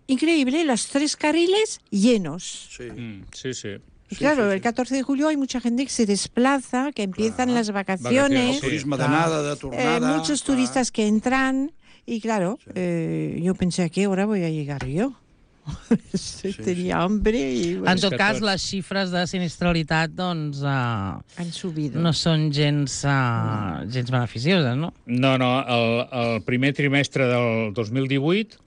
S3: Increíble, los tres carriles llenos.
S5: Sí.
S4: Mm, sí, sí.
S3: Y
S5: Sí,
S3: claro,
S5: sí, sí.
S3: el catorce de julio hay mucha gente que se desplaza, que empiezan
S5: Clar.
S3: las vacaciones.
S4: Vacaciones,
S5: El turisme
S2: clar.
S5: d'anada, de
S3: Eh,
S5: tornada...
S3: muchos
S5: clar.
S3: turistas que entran y claro, eh, yo pensé a qué hora voy a llegar yo. Tenía hambre y
S2: En
S3: bueno,
S2: tot
S4: que
S2: cas,
S4: tots-
S2: les xifres de sinistralitat doncs, uh,
S3: han subido.
S2: no són gens, uh, gens beneficioses, no?
S4: No, no, el, el primer trimestre del dos mil divuit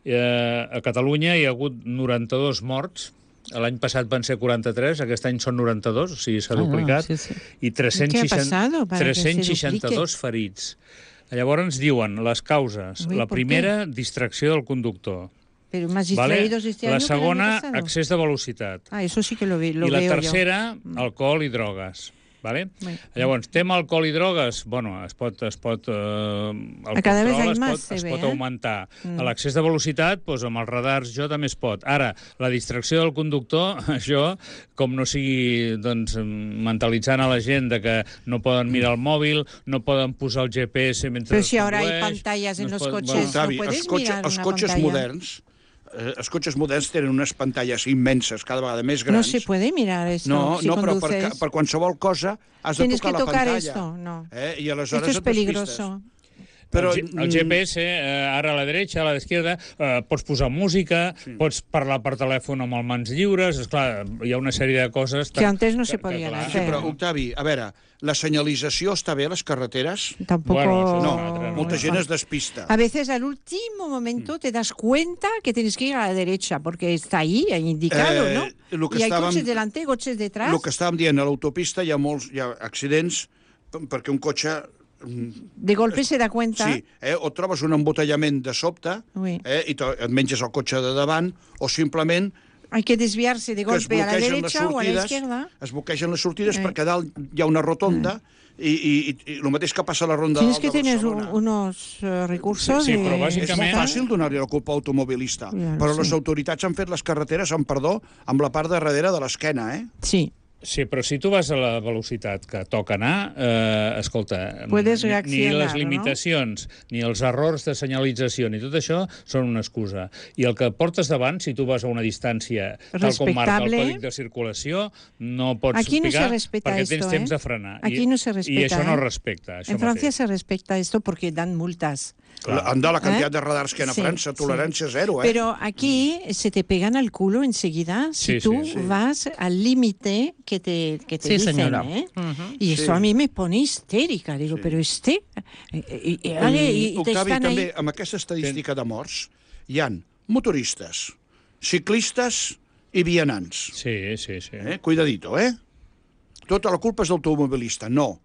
S4: eh, a Catalunya hi ha hagut noranta-dos morts. L'any passat van ser quaranta-tres, aquest any són noranta-dos, o sigui, s'ha
S2: Ah,
S4: duplicat.
S2: sí, sí.
S4: I tres-cents
S3: Què ha
S4: seixanta
S3: passat para que se
S4: tres-cents seixanta-dos ferits. Llavors diuen les causes.
S3: Ui,
S4: La
S3: ¿por
S4: primera, distracció del conductor.
S3: Pero más
S4: Vale?
S3: distraídos este año
S4: La
S3: que el año
S4: segona,
S3: pasado.
S4: excés de velocitat.
S3: Ah, eso sí que lo, vi, lo
S4: I la
S3: veo
S4: tercera, alcohol i drogues. Vale?
S3: Bé.
S4: Llavors, tema alcohol i drogues, bueno, es pot, es pot, eh, el
S3: A cada vez
S4: control
S3: hay
S4: es
S3: más,
S4: pot,
S3: se
S4: es
S3: ve,
S4: pot
S3: eh?
S4: augmentar.
S3: Mm.
S4: A l'accés de velocitat, doncs, amb els radars, jo també es pot. Ara, la distracció del conductor, això, com no sigui doncs, mentalitzant a la gent de que no poden mirar el mòbil, no poden posar el G P S mentre
S3: Pero
S4: es
S3: si ahora hay
S4: condueix,
S3: pantallas en
S4: no es
S3: los
S4: pot-
S3: coches.
S4: bueno,
S5: Octavi,
S3: no puedes
S5: els, cotxe,
S3: mirar
S5: els
S3: una
S5: cotxes
S3: pantalla.
S5: moderns eh, els cotxes moderns tenen unes pantalles immenses, cada vegada més
S3: No
S5: grans.
S3: se puede mirar esto
S5: No,
S3: si
S5: no, però per,
S3: conduces.
S5: ca- per qualsevol cosa has de
S3: Tienes
S5: tocar
S3: que
S5: la
S3: tocar
S5: pantalla.
S3: esto, no.
S5: Eh? I aleshores
S3: Esto es
S5: et despistes.
S3: peligroso.
S5: Però,
S4: el, G- el G P S, eh, ara a la dreta, a la d'esquerda, eh, pots posar música, sí. pots parlar per telèfon amb els mans lliures, esclar, hi ha una sèrie de coses...
S3: Que antes no se podien
S4: clar,
S3: hacer.
S5: Sí, però, Octavi, a veure, la senyalització està bé a les carreteres?
S3: Tampoco.
S4: Bueno, això és
S5: No,
S4: una altra, no?
S5: molta gent es despista.
S3: A veces al último momento te das cuenta que tienes que ir a la derecha porque está ahí indicado,
S5: Eh,
S3: ¿no?
S5: lo que
S3: Y hay
S5: estàvem-
S3: coches delante, coches detrás.
S5: El que estàvem dient, a l'autopista hi ha molts hi ha accidents p- perquè un cotxe... mm,
S3: De golpe se da cuenta.
S5: Sí, eh? o trobes un embotellament de sobte
S3: Ui.
S5: eh? i te- et menges el cotxe de davant, o simplement
S3: Hay que desviarse de
S5: que es
S3: golpe a la
S5: bloquegen les
S3: derecha o a la
S5: sortides,
S3: izquierda.
S5: es bloquegen les sortides
S3: Eh.
S5: perquè a dalt hi ha una rotonda i, i, i, i el mateix que passa a la ronda
S3: Tienes
S5: dalt
S3: que
S5: de
S3: tener un-
S5: Barcelona.
S3: unos eh, recursos.
S4: Sí, sí,
S3: de-
S4: però
S5: És
S4: bàsicament-
S5: molt fàcil donar-li la culpa al automobilista,
S3: Ja,
S5: però
S3: sí.
S5: les autoritats han fet les carreteres, amb perdó, amb la part de darrere de l'esquena, eh?
S3: Sí.
S4: Sí, però si tu vas a la velocitat que toca anar, eh, escolta,
S3: Puedes
S4: ni, ni
S3: reaccionar,
S4: les limitacions, no? ni els errors de senyalització, ni tot això són una excusa. I el que portes davant, si tu vas a una distància tal com marca el còdic de circulació, no pots
S3: Aquí no
S4: picar
S3: se respeta
S4: perquè
S3: esto,
S4: tens
S3: ¿eh?
S4: temps de frenar.
S3: Aquí
S4: I,
S3: no se respeta.
S4: I això no
S3: ¿eh?
S4: respecta. Això
S3: en Francia
S4: mateix.
S3: se respecta esto porque dan multas.
S5: Anda, la cantidad
S3: ¿Eh?
S5: de radars que hay en
S3: Sí,
S5: Francia, tolerancia
S3: sí.
S5: cero, ¿eh?
S3: Pero aquí se te pegan al culo enseguida si
S4: Sí,
S3: tú
S4: sí, sí.
S3: vas al límite que te, que te
S2: Sí,
S3: dicen,
S2: señora.
S3: ¿eh?
S2: Uh-huh.
S3: Y eso
S5: Sí.
S3: a mí me pone histérica. Digo,
S5: Sí.
S3: pero este... Y, y, y, vale, y te
S5: Octavi,
S3: están
S5: també,
S3: ahí...
S5: amb aquesta estadística de morts, hi han motoristes, ciclistes i vianants.
S4: Sí, sí, sí.
S5: Eh? Cuidadito, eh? Tota la culpa és d'automobilista, no.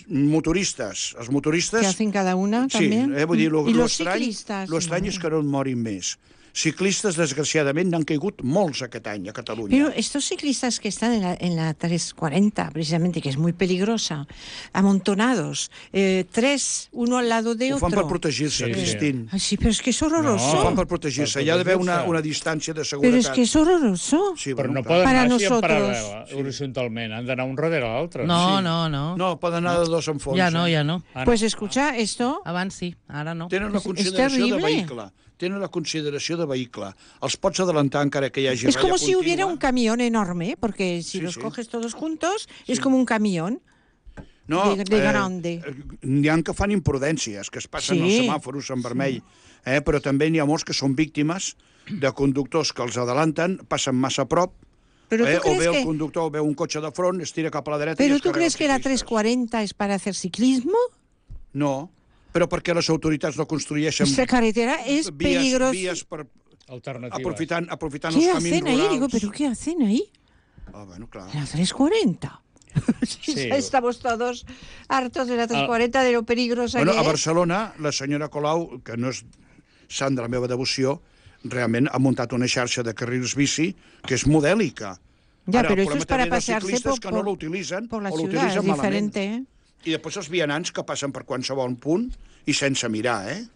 S5: Motoristes, els motoristes...
S3: Que hacen cada una
S5: Sí,
S3: también.
S5: eh, vull dir, lo,
S3: y
S5: lo
S3: los
S5: estrany,
S3: ciclistas.
S5: lo estrany és que no en morin més. Ciclistes, desgraciadament, n'han caigut molts aquest any a Catalunya.
S3: Pero estos ciclistas que están en la, en la tres cuarenta, precisamente, que es muy peligrosa, amontonados, eh, tres, uno al lado de
S5: Ho
S3: otro.
S5: fan per protegir-se,
S4: Sí, sí.
S5: Cristín.
S3: Ay, sí, pero es que es horroroso.
S5: Ho
S4: No.
S5: fan per protegir-se.
S4: Per
S5: Hi ha d'haver una,
S4: protegir-se.
S5: una distància de seguretat.
S3: Pero es que es horroroso.
S5: Sí,
S4: Però
S5: bueno,
S4: no
S5: clar.
S4: poden
S3: Para
S4: anar així en
S3: nosotros.
S4: paral·lel, horitzontalment. Han d'anar un darrere l'altre.
S2: No,
S5: Sí.
S2: no, no.
S5: No, poden anar de dos en fons.
S2: Ja no,
S5: eh?
S2: ja no.
S4: Ah, no.
S3: Pues escucha, esto...
S2: Abans sí, ara no.
S5: Tenen la
S3: És- és
S5: consideració de
S3: terrible.
S5: vehicle. Tenen la consideració de vehicle. Els pots adelantar encara que hi hagi
S3: Es
S5: ratlla
S3: como si
S5: contínua.
S3: hubiera un camión enorme, porque si
S5: Sí,
S3: los
S5: sí.
S3: coges todos juntos, es como un camión.
S5: No,
S3: de- de grande.
S5: Eh, n'hi ha que fan imprudències, que es passen
S3: Sí.
S5: els semàfors en vermell, eh? Però també n'hi ha molts que són víctimes de conductors que els adelanten, passen massa a prop,
S3: Pero
S5: eh?
S3: tú
S5: o
S3: crees
S5: ve el
S3: que,
S5: conductor, veu un cotxe de front, es tira cap a la dreta i
S3: pero
S5: es
S3: tú
S5: carrega
S3: crees
S5: els
S3: que la
S5: ciclistes.
S3: tres cuarenta es para hacer ciclismo?
S5: No, però perquè les autoritats no construeixen
S3: Esta carretera es
S5: vies,
S3: peligrosa.
S5: vies per,
S4: Alternatives.
S5: aprofitant, aprofitant
S3: ¿Qué
S5: els camins
S3: hacen ahí?
S5: rurals.
S3: Digo, ¿pero qué hacen ahí?
S5: Ah, bueno, clar.
S3: En la tres cuarenta.
S4: Sí.
S3: Estamos todos hartos de la tres cuarenta, de lo peligrosa
S5: Bueno,
S3: que
S5: a
S3: es.
S5: Barcelona, la senyora Colau, que no és sant de la meva devoció, realment ha muntat una xarxa de carrils bici que és modèlica.
S3: Ya,
S5: Ara,
S3: pero
S5: el
S3: eso es
S5: problema
S3: para
S5: també dels
S3: pasearse
S5: ciclistes
S3: por,
S5: que no
S3: por,
S5: l'utilitzen
S3: por la
S5: o
S3: ciudad, es
S5: l'utilitzen malament.
S3: diferente, ¿eh?
S5: I després els vianants que passen per qualsevol punt i sense mirar, eh?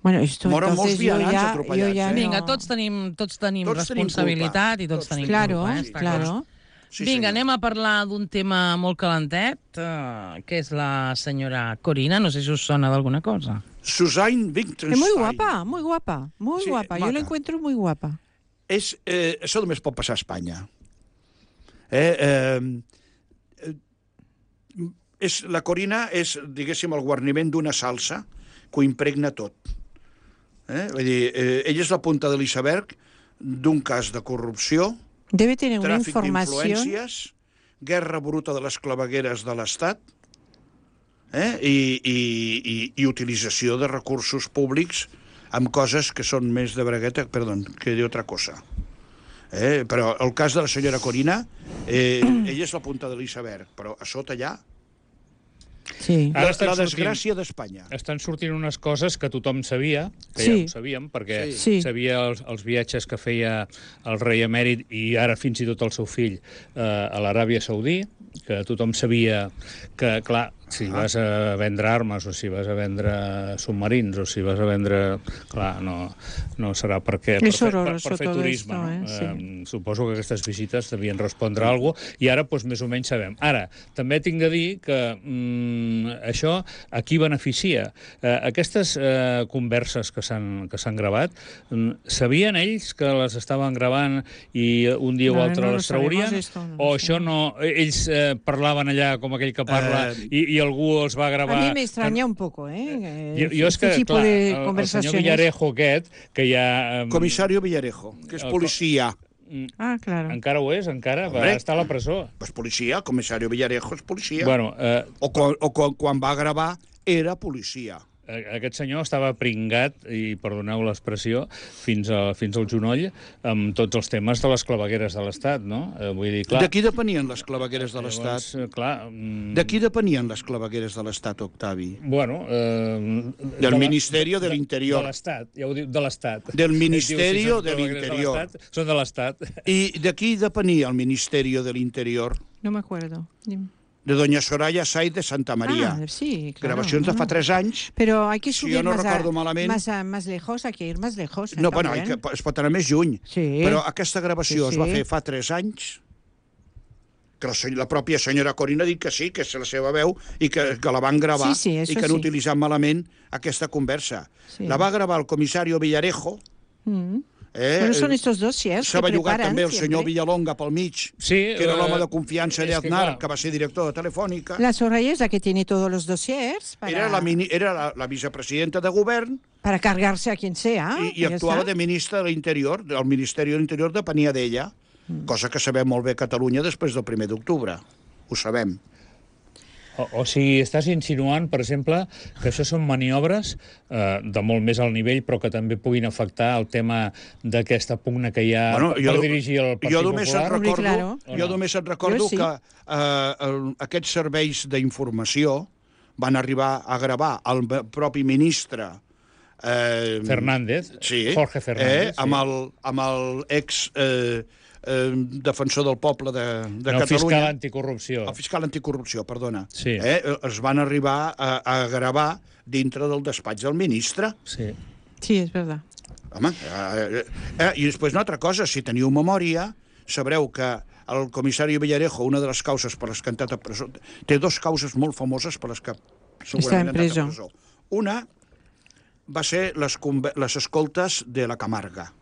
S3: Bueno, esto
S5: Moren molts
S3: entonces yo
S5: vianants
S3: ya, yo
S5: atropellats,
S3: ya
S5: eh?
S2: Vinga,
S3: no...
S2: tots tenim, tots tenim
S5: Tots tenim
S2: responsabilitat
S5: culpa.
S2: i tots
S5: Tots
S2: tenim
S5: tenim
S3: Claro,
S2: culpa. Eh? Està clar.
S3: claro.
S5: Sí,
S2: Vinga,
S5: senyor.
S2: anem a parlar d'un tema molt calentet, eh, que és la senyora Corina. No sé si us sona d'alguna cosa.
S5: Susanne Wittgenstein.
S3: Es muy guapa, muy guapa, muy
S5: Sí,
S3: guapa. Yo
S5: maca.
S3: la encuentro muy guapa.
S5: És, eh, això només pot passar a Espanya. Eh, eh, eh, és, la Corina és, diguéssim, el guarniment d'una salsa que ho impregna tot. Eh? Vull dir, eh, ella és la punta de l'iceberg d'un cas de corrupció,
S3: Debe tener una
S5: tràfic
S3: información.
S5: d'influències, guerra bruta de les clavegueres de l'Estat, eh? I, i, i, i utilització de recursos públics amb coses que són més de bragueta, perdó, que d'altra cosa. Eh? Però el cas de la senyora Corina, eh, ella és la punta de l'iceberg, però a sota allà,
S3: Sí.
S5: la,
S4: Ara estan
S5: la
S4: sortint-
S5: desgràcia d'Espanya.
S4: Estan sortint unes coses que tothom sabia, que
S3: Sí.
S4: ja ho sabíem, perquè
S3: Sí.
S4: sabia els, els viatges que feia el rei emèrit i ara fins i tot el seu fill eh, a l'Aràbia Saudí, que tothom sabia que, clar, si vas a vendre armes o si vas a vendre submarins o si vas a vendre... Clar, no, no serà perquè... Per,
S3: És
S4: fer- per,
S3: horroroso
S4: per fer
S3: todo
S4: turisme,
S3: esto,
S4: no?
S3: eh? Sí.
S4: Eh, suposo que aquestes visites devien respondre a alguna cosa i ara, doncs, més o menys sabem. Ara, també tinc de dir que mm, això a qui beneficia? Eh, aquestes eh, converses que s'han que s'han gravat, mm, sabien ells que les estaven gravant i un dia
S3: No,
S4: o altre
S3: no lo
S4: les traurien?
S3: sabemos esto, no lo
S4: o això no... Ells eh, parlaven allà com aquell que parla
S5: Eh,
S4: i, i algú els va gravar...
S3: A mí me extraña un poco, ¿eh?
S4: Jo, jo és
S3: este
S4: que,
S3: tipo
S4: clar,
S3: de
S4: el, el senyor
S3: conversaciones.
S4: Villarejo aquest, que ja... em,
S5: Comissario Villarejo, que és
S4: El-
S5: policia.
S3: Ah, claro.
S4: encara ho és, encara, va
S5: Hombre.
S4: estar a la presó.
S5: Pues policia, comissario Villarejo és policia.
S4: Bueno, eh,
S5: O, quan, o quan, quan va gravar era policia.
S4: aquest senyor estava pringat, i perdoneu l'expressió, fins, a, fins al genoll amb tots els temes de les clavegueres de l'Estat, no? Eh, vull dir, clar...
S5: De qui depenien les clavegueres de l'Estat?
S4: Llavors, eh, clar... mm,
S5: De qui depenien les clavegueres de l'Estat, Octavi?
S4: Bueno... Eh,
S5: Del
S4: la-
S5: Ministerio del
S4: de-
S5: Interior.
S4: De l'Estat, ja ho diu, de l'Estat.
S5: Del
S4: Diu,
S5: Ministerio
S4: si són
S5: del
S4: clavegueres de
S5: Interior.
S4: l'Estat, Són de l'Estat.
S5: I de qui depenia el Ministerio del Interior?
S3: No me acuerdo. Dime.
S5: De doña Soraya Sáiz de Santa María.
S3: Ah, sí, claro.
S5: Gravacions de
S3: no,
S5: fa
S3: no.
S5: tres anys.
S3: Pero hay que
S5: Si
S3: subir
S5: yo no
S3: más,
S5: recuerdo
S3: a,
S5: malament-
S3: más, a, más lejos, hay que ir más lejos. ¿eh?
S5: No, bueno, hay
S3: También.
S5: que, es pot anar més lluny.
S3: Sí.
S5: Però aquesta gravació
S3: Sí,
S5: es va
S3: sí.
S5: fer fa tres anys que la, la pròpia senyora Corina ha dit que sí, que és la seva veu, i que, que la van gravar,
S3: sí, sí,
S5: i que han
S3: sí.
S5: utilitzat malament aquesta conversa.
S3: Sí.
S5: La va gravar el comissario Villarejo.
S3: Mm.
S5: Eh,
S3: Bueno, son estos dossiers
S5: se
S3: que
S5: va llogar
S3: preparan
S5: també el senyor
S3: siempre.
S5: Villalonga pel mig,
S4: Sí,
S5: que era
S4: eh,
S5: l'home de confiança
S4: és que,
S5: d'Aznar,
S4: clar.
S5: que va ser director de Telefònica.
S3: La Soraya es la que tiene todos los dossiers para,
S5: Era, la, mini, era la, la vicepresidenta de govern
S3: para cargarse a quien sea.
S5: i, i
S3: ya
S5: actuava
S3: está.
S5: de ministra de l'Interior. El Ministeri de l'Interior depenia d'ella, mm. cosa que sabem molt bé a Catalunya després del primer d'octubre. Ho sabem.
S4: O, o sigui, estàs insinuant, per exemple, que això són maniobres eh, de molt més alt nivell, però que també puguin afectar el tema d'aquesta pugna que hi ha
S5: Bueno,
S4: per
S5: jo-
S4: dirigir el Partit
S5: Jo només et
S4: Popular?
S3: Hombre,
S5: recordo,
S3: claro.
S5: jo només et recordo
S3: Jo sí.
S5: que eh, el, aquests serveis d'informació van arribar a gravar el propi ministre eh,
S4: Fernández,
S5: sí,
S4: Jorge Fernández.
S5: eh, amb, el, amb el ex eh, eh, defensor del poble de, de
S4: el fiscal
S5: Catalunya.
S4: anticorrupció.
S5: El fiscal anticorrupció, perdona.
S4: Sí.
S5: Eh, es van arribar a, a gravar dintre del despatx del ministre.
S4: Sí.
S3: Sí, es verdad.
S5: Home, eh, eh, i després una altra cosa, si teniu memòria, sabreu que el comissari Villarejo, una de les causes per les que ha entrat a presó, té dues causes molt famoses per les que
S3: Està en
S5: segurament ha entrat
S3: presó.
S5: a presó. Una va ser les, conve- les escoltes de la Camarga.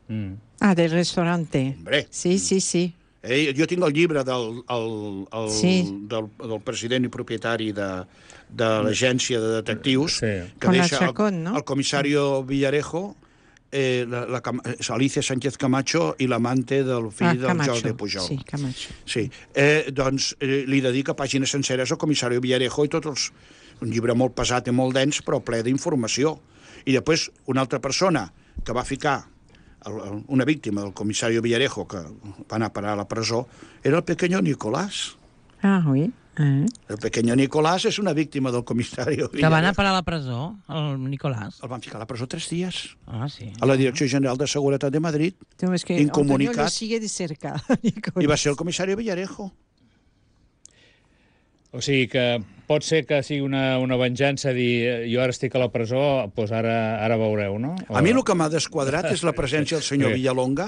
S4: Mm.
S3: Ah, del restaurante.
S5: Hombre.
S3: Sí, sí, sí.
S5: Eh, jo tinc el llibre del, el, el,
S3: Sí.
S5: del, del president i propietari de, de l'agència de detectius,
S4: Sí.
S5: que
S3: Con la
S5: deixa
S3: Chacón,
S5: el,
S3: no?
S5: el comissario Villarejo, eh, la, la, Cam- Alicia Sánchez Camacho i l'amante del fill
S3: Ah,
S5: del
S3: Camacho.
S5: Jordi Pujol.
S3: Sí, Camacho.
S5: Sí. Eh, doncs eh, li dedica pàgines senceres al comissari Villarejo i tots els... Un llibre molt pesat i molt dens, però ple d'informació. I després, una altra persona que va ficar el, el, una víctima del comissari Villarejo, que va anar a parar a la presó, era el pequeño Nicolás.
S3: Ah, oui. Eh.
S5: El pequeño Nicolás és una víctima del comissari
S2: Que va
S5: Villarejo.
S2: anar a parar a la presó, el Nicolàs.
S5: El van ficar a la presó tres dies.
S2: Ah, sí.
S5: A la Direcció General de Seguretat de Madrid.
S3: Tengo es que
S5: Incomunicat.
S3: Antonio lo sigue de cerca.
S5: I va ser el comissari Villarejo.
S4: O sigui que pot ser que sigui una, una venjança dir eh, jo ara estic a la presó, doncs ara, ara veureu, no? O...
S5: A mi el que m'ha desquadrat és la presència del senyor
S4: Sí.
S5: Villalonga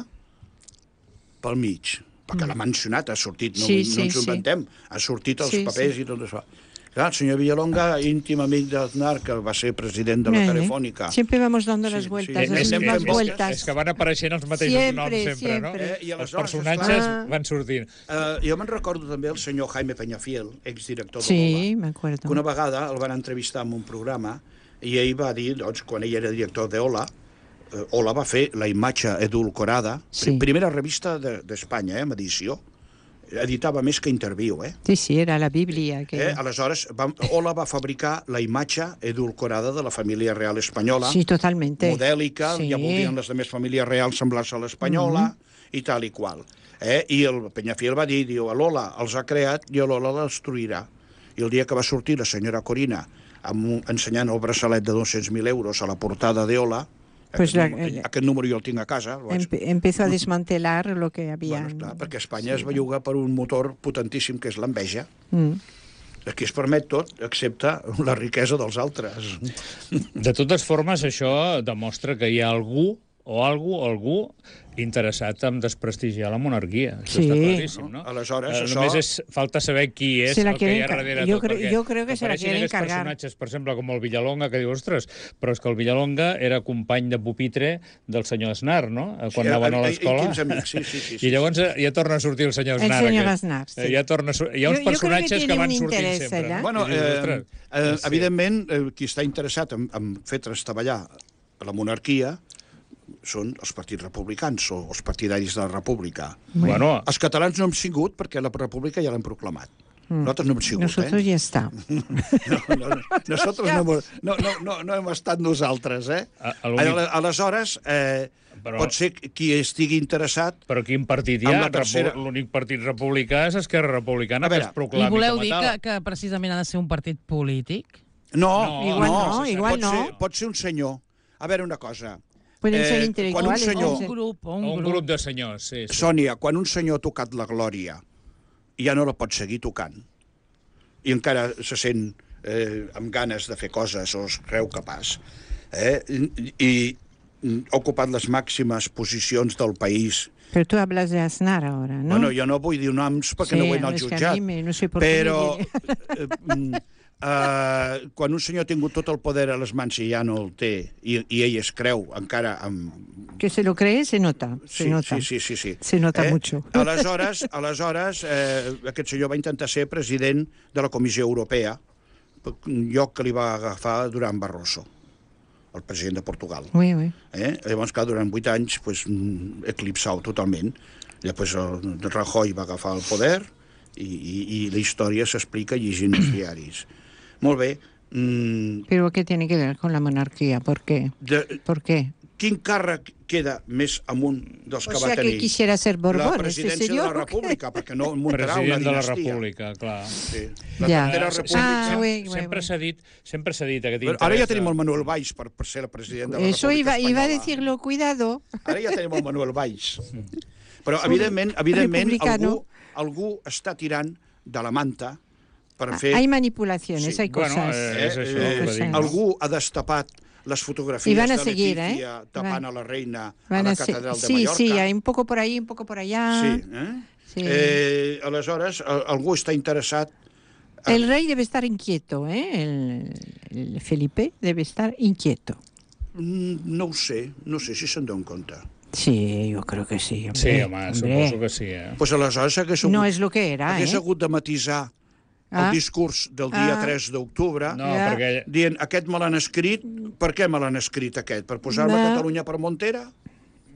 S5: pel mig, perquè l'ha mencionat, ha sortit, no,
S3: Sí,
S5: no
S3: sí,
S5: ens ho inventem, ha sortit els
S3: Sí,
S5: papers
S3: sí.
S5: i tot això. Clar, el senyor Villalonga, íntim amic d'Aznar, que va ser president de la
S3: Eh,
S5: Telefònica.
S3: Siempre vamos dando
S5: Sí,
S3: las
S5: sí.
S3: vueltas,
S5: Eh,
S3: las
S5: és que-
S3: mismas
S5: és que-
S3: vueltas.
S4: És que van apareixent els mateixos
S3: Siempre,
S4: noms sempre,
S3: siempre.
S4: no?
S5: Eh, i
S4: Els
S5: aleshores,
S4: personatges
S3: esclar-
S4: van sortint.
S5: Eh, jo me'n recordo també el senyor Jaime Peñafiel, exdirector de
S3: Sí,
S5: l'O
S3: me
S5: L A,
S3: acuerdo.
S5: que una vegada el van entrevistar en un programa i ell va dir, doncs, quan ell era director d'Ola, eh, Ola va fer la imatge edulcorada,
S3: Sí.
S5: primera revista d'Espanya, de, eh, amb edició, editava més que Interviu, eh?
S3: Sí, sí, era la Biblia. Que...
S5: eh? Aleshores, va, Ola va fabricar la imatge edulcorada de la família real espanyola,
S3: Sí, totalmente.
S5: modèlica,
S3: Sí.
S5: ja voldrien les demés famílies reals semblar-se a l'espanyola, mm -hmm. i tal i qual. Eh? I el Peñafiel va dir, diu, l'Ola els ha creat i l'Ola la destruirà. I el dia que va sortir la senyora Corina amb un, ensenyant el braçalet de dos-cents mil euros a la portada d'Ola,
S3: Pues
S5: aquest,
S3: la-
S5: número, aquest número jo el tinc a casa, el vaig-
S3: Empe- empezó a desmantelar lo que había.
S5: bueno, esclar, perquè Espanya es belluga per un motor potentíssim que és l'enveja.
S3: Mm.
S5: Aquí es permet tot, excepte la riquesa dels altres.
S4: De totes formes, això demostra que hi ha algú o algú o algú interessat en desprestigiar la monarquia. Això
S3: Sí.
S4: està claríssim, no?
S5: Aleshores,
S4: eh,
S5: això-
S4: Només és, falta saber qui és
S3: Se la
S4: el que hi ha
S3: quieren ca-
S4: darrere
S3: jo
S4: tot.
S3: creo-
S4: perquè
S3: jo creo que se la
S4: apareixen
S3: quieren
S4: aquests
S3: cargar.
S4: personatges, per exemple, com el Villalonga, que diu, ostres, però és que el Villalonga era company de pupitre del senyor Aznar, no? Eh, Quan
S5: Sí,
S4: anaven a
S5: i- i-
S4: l'escola.
S5: íntims amics, sí, sí, sí, sí,
S4: I llavors eh, ja torna a sortir el senyor
S3: El
S4: Aznar.
S3: senyor
S4: aquest.
S3: Aznar, sí.
S4: Eh, Ja torna a sur- Hi ha
S3: Jo-
S4: uns
S3: jo creo que
S4: personatges que,
S3: tiene
S4: van
S3: un
S4: sortint
S3: interès
S4: sempre.
S3: allà.
S4: No?
S5: Bueno,
S4: I dius,
S5: eh,
S4: ostres,
S5: eh,
S4: sí.
S5: evidentment, eh, qui està interessat en, en fer trastaballar la monarquia són els partits republicans o els partidaris de la república.
S4: Bueno,
S5: Els catalans no hem sigut perquè la república ja l'hem proclamat. Nosaltres no hem sigut,
S3: Nosotros
S5: eh?
S3: ya está.
S5: No, no, nosaltres no, hemos- no, no, no, no hem estat nosaltres, eh?
S4: A- a l'únic-
S5: Ale- Aleshores, eh,
S4: Però-
S5: pot ser qui estigui interessat...
S4: però quin partit hi
S5: Amb
S4: ha?
S5: la tercera-
S4: Repu- L'únic partit republicà és Esquerra Republicana,
S5: A veure,
S4: que es proclami
S2: I voleu
S4: com a
S2: dir
S4: tal.
S2: que, que precisament ha de ser un partit polític?
S5: No,
S4: No,
S3: Igual no,
S5: pot
S3: igual
S5: ser,
S3: no.
S5: Pot ser un senyor. A veure, una cosa.
S3: Pueden
S5: Eh,
S3: ser
S5: quan un
S3: intelectuales.
S5: senyor-
S2: O
S3: pueden
S2: un
S3: ser-
S2: grup, o un,
S4: Un
S2: grup.
S4: grup de senyors, sí. sí.
S5: Sònia, quan un senyor ha tocat la glòria i ja no la pot seguir tocant, i encara se sent eh, amb ganes de fer coses o es creu capaç, eh, i, i ha ocupat les màximes posicions del país.
S3: Pero tú hablas de Aznar ahora, ¿no?
S5: Bueno, jo no vull dir noms perquè
S3: Sí,
S5: no vull anar al
S3: és que a
S5: jutjat.
S3: mi me- no sé por qué
S5: però
S3: me
S5: eh, mm, eh, quan un senyor ha tingut tot el poder a les mans i ja no el té, i, i ell es creu encara amb...
S3: Que se lo cree, se nota. Se
S5: Sí,
S3: nota.
S5: sí, sí, sí, sí.
S3: Se nota mucho.
S5: Aleshores, aleshores eh, aquest senyor va intentar ser president de la Comissió Europea, un lloc que li va agafar Durán Barroso, el president de Portugal.
S3: Oui, oui.
S5: Eh? Llavors, clar, durant vuit anys, pues, mm, eclipsau totalment. Després el Rajoy va agafar el poder i, i, i la història s'explica llegint els diaris. Molt bé. Mm,
S3: Pero ¿qué tiene que ver con la monarquía? ¿Por qué?
S5: de,
S3: ¿Por qué?
S5: quin càrrec queda més amunt dels
S3: O
S5: que
S3: sea
S5: va tenir?
S3: que quisiera ser Borbón,
S5: la
S3: este
S5: presidència de
S3: señor.
S5: la República, perquè no muntarà una
S4: President de la
S5: dinastia.
S4: República, clar.
S5: Sí. La
S3: Ja.
S5: tercera
S4: Eh,
S5: república...
S3: Ah, oui, oui,
S4: sempre
S3: oui.
S4: s'ha dit, sempre s'ha dit aquest
S5: Però
S4: interès...
S5: ara ja tenim
S4: de-
S5: el Manuel Valls per, per ser el president de la
S3: Eso
S5: República
S3: iba, iba a
S5: Espanyola.
S3: decirlo, cuidado.
S5: Ara ja tenim el Manuel Valls. Però, evidentment, evidentment
S3: republicano.
S5: algú, algú està tirant de la manta per
S3: Ah,
S5: fer...
S3: Hay manipulaciones,
S5: Sí.
S3: hay
S4: Bueno,
S3: cosas.
S4: eh, és això,
S5: Eh,
S4: el que
S3: eh,
S4: dic.
S5: algú ha destapat les fotografies
S3: I van a
S5: de
S3: seguir,
S5: Letícia
S3: eh?
S5: tapant
S3: Van-
S5: a la reina a
S3: Van
S5: la
S3: a ser-
S5: catedral de
S3: sí,
S5: Mallorca.
S3: sí, hay un poco por ahí, un poco por allá.
S5: Sí, eh?
S3: Sí.
S5: Eh, aleshores, a- algú està interessat...
S3: El rey debe estar inquieto, ¿eh? El, el Felipe debe estar inquieto.
S5: Mm, No ho sé, no sé si se'n donen compte.
S3: Sí, yo creo que sí. Hombre,
S4: Sí, home,
S3: hombre.
S4: suposo que sí, eh?
S5: Doncs pues aleshores hagués hagut,
S3: No es lo que era,
S5: hagués
S3: ¿eh?
S5: hagut de matisar
S3: Ah.
S5: el discurs del dia
S3: Ah.
S5: tres d'octubre,
S4: No,
S3: Ja.
S4: perquè...
S5: dient, aquest me l'han escrit, per què me l'han escrit aquest? Per posar-me
S3: No.
S5: Catalunya per Montera?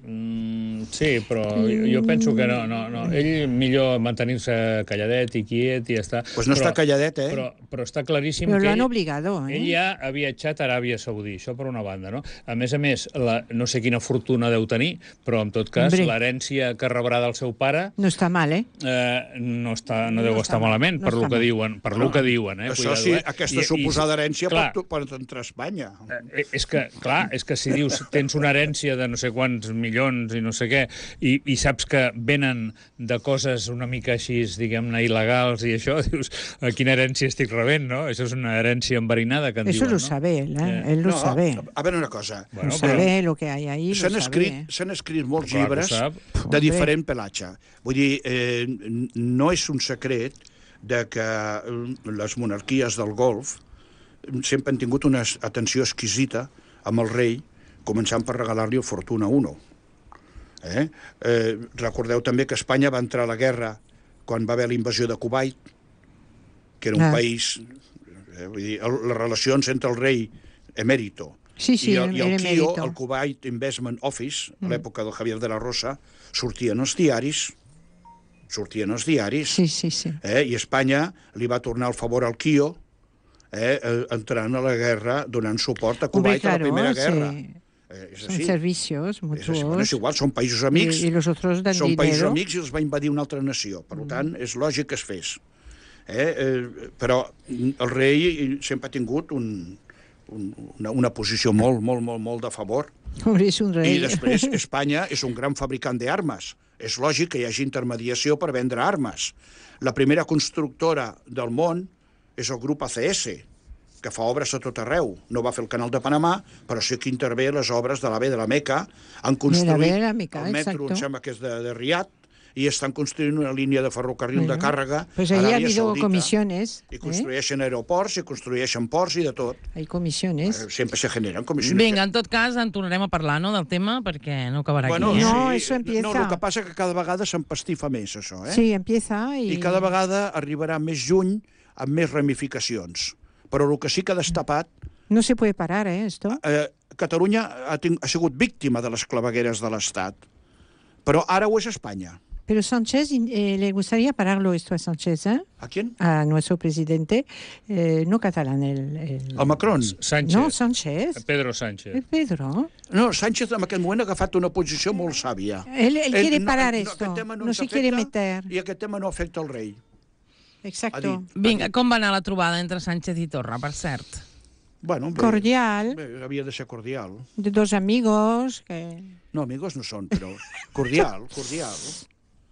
S4: Mm, sí, però jo penso que no, no, no. Ell millor mantenir-se calladet i quiet i ja està.
S5: Doncs pues no
S4: però,
S5: està calladet, eh?
S4: Però, però està claríssim
S3: Pero
S4: que
S3: lo han
S4: ell,
S3: obligado, ¿eh?
S4: ell ja ha viatjat a Aràbia Saudí, això per una banda, no? A més a més, la, no sé quina fortuna deu tenir, però en tot cas,
S3: Hombre.
S4: l'herència que rebrà del seu pare
S3: No está mal, ¿eh?
S4: eh, no, està, no,
S3: No
S4: deu
S3: està
S4: estar
S3: mal,
S4: malament,
S3: no
S4: per lo
S3: està
S4: que
S3: mal.
S4: diuen, per lo que diuen, eh?
S5: Això
S4: Cuidado,
S5: sí,
S4: eh?
S5: aquesta
S4: I- i-
S5: suposada herència
S4: clar,
S5: pot, pot entrar a Espanya.
S4: Eh, és que, clar, és que si dius tens una herència de no sé quants milions i no sé què, i, i saps que venen de coses una mica així, diguem-ne, il·legals i això, dius, a quina herència estic rebent, no? Això és una herència enverinada, que en
S3: Eso
S4: diuen,
S3: lo
S4: no?
S3: sabe él, ¿eh?
S4: Eh,
S3: Él lo
S5: no,
S3: sabe.
S5: a veure una cosa.
S4: Bueno,
S3: Lo
S4: però-
S3: sabe lo que hay ahí, lo
S5: S'han
S3: sabe.
S5: escrit, s'han escrit molts
S4: Clar que ho
S5: llibres
S4: sap.
S5: de diferent pelatge. Vull dir, eh, n- no és un secret de que eh, les monarquies del Golf sempre han tingut una atenció exquisita amb el rei, començant per regalar-li el Fortuna uno. Eh? Eh, recordeu també que Espanya va entrar a la guerra quan va haver la invasió de Kuwait, que era un
S3: Ah.
S5: país... Eh, vull dir, el, les relacions entre el rei emèrito
S3: Sí, sí,
S5: i el, i el
S3: el
S5: KIO,
S3: emérito.
S5: el Kuwait Investment Office, a l'època del Javier de la Rosa, sortien els diaris, sortien els diaris,
S3: Sí, sí, sí.
S5: eh? I Espanya li va tornar el favor al KIO, eh? eh, entrant a la guerra, donant suport a
S3: Hombre,
S5: Kuwait a la
S3: claro,
S5: Primera
S3: sí.
S5: Guerra. Eh, és
S3: Son
S5: així.
S3: servicios
S5: És,
S3: mutuos.
S5: així. Bueno, és igual, són països amics,
S3: Y, y los otros dan
S5: són països
S3: dinero.
S5: amics i els va invadir una altra nació. Per tant, és lògic que es fes. Eh? Eh, però el rei sempre ha tingut un, un, una, una posició molt, molt, molt, molt de favor.
S3: Hombre, es un
S5: I
S3: rey.
S5: després Espanya és un gran fabricant d'armes. És lògic que hi hagi intermediació per vendre armes. La primera constructora del món és el grup A C S, que fa obres a tot arreu. No va fer el canal de Panamà, però sí que intervé a les obres de l'A V de la Meca. Han construït
S3: de la Meca,
S5: el metro,
S3: exacto.
S5: em sembla que és de, de Riad, i estan construint una línia de ferrocarril
S3: Bueno,
S5: de càrrega
S3: Pues
S5: a
S3: ahí ha
S5: l'Aràbia
S3: habido
S5: Saudita.
S3: comisiones.
S5: I
S3: ¿eh?
S5: construeixen aeroports, i construeixen ports i de tot.
S3: Hay comisiones.
S5: Eh, Sempre se generen comissions.
S2: Vinga, en tot cas, en tornarem a parlar, no?, del tema, perquè no acabarà
S5: Bueno,
S2: aquí, eh?
S3: No,
S5: sí,
S3: eso empieza.
S5: No, el que passa que cada vegada s'empastifa més, això, eh?
S3: Sí, empieza y...
S5: I cada vegada arribarà més juny amb més ramificacions. Però el que sí que ha destapat,
S3: No se puede parar, ¿eh? Esto.
S5: eh, Catalunya ha, ting- ha sigut víctima de les clavegueres de l'Estat, però ara ho és Espanya.
S3: Pero Sánchez, eh, le gustaría pararlo esto a Sánchez, ¿eh?
S5: A quién?
S3: A nuestro presidente, eh, no catalán, el... el...
S5: A Macron.
S4: Sánchez.
S3: No, Sánchez.
S4: Pedro Sánchez.
S3: El Pedro.
S5: No, Sánchez en aquest moment ha agafat una posició molt sàvia.
S3: Él, él quiere
S5: no-
S3: parar
S5: no,
S3: esto.
S5: aquest tema
S3: No,
S5: ens
S3: se quiere
S5: afecta
S3: meter.
S5: I aquest tema no afecta el rei.
S3: Exacto.
S5: dit.
S2: Vinga, com va anar la trobada entre Sánchez i Torra, per cert?
S5: Bueno, bé,
S3: Cordial,
S5: bé, havia de ser cordial.
S3: de dos amigos. Que...
S5: No, amigos no són, però cordial, cordial.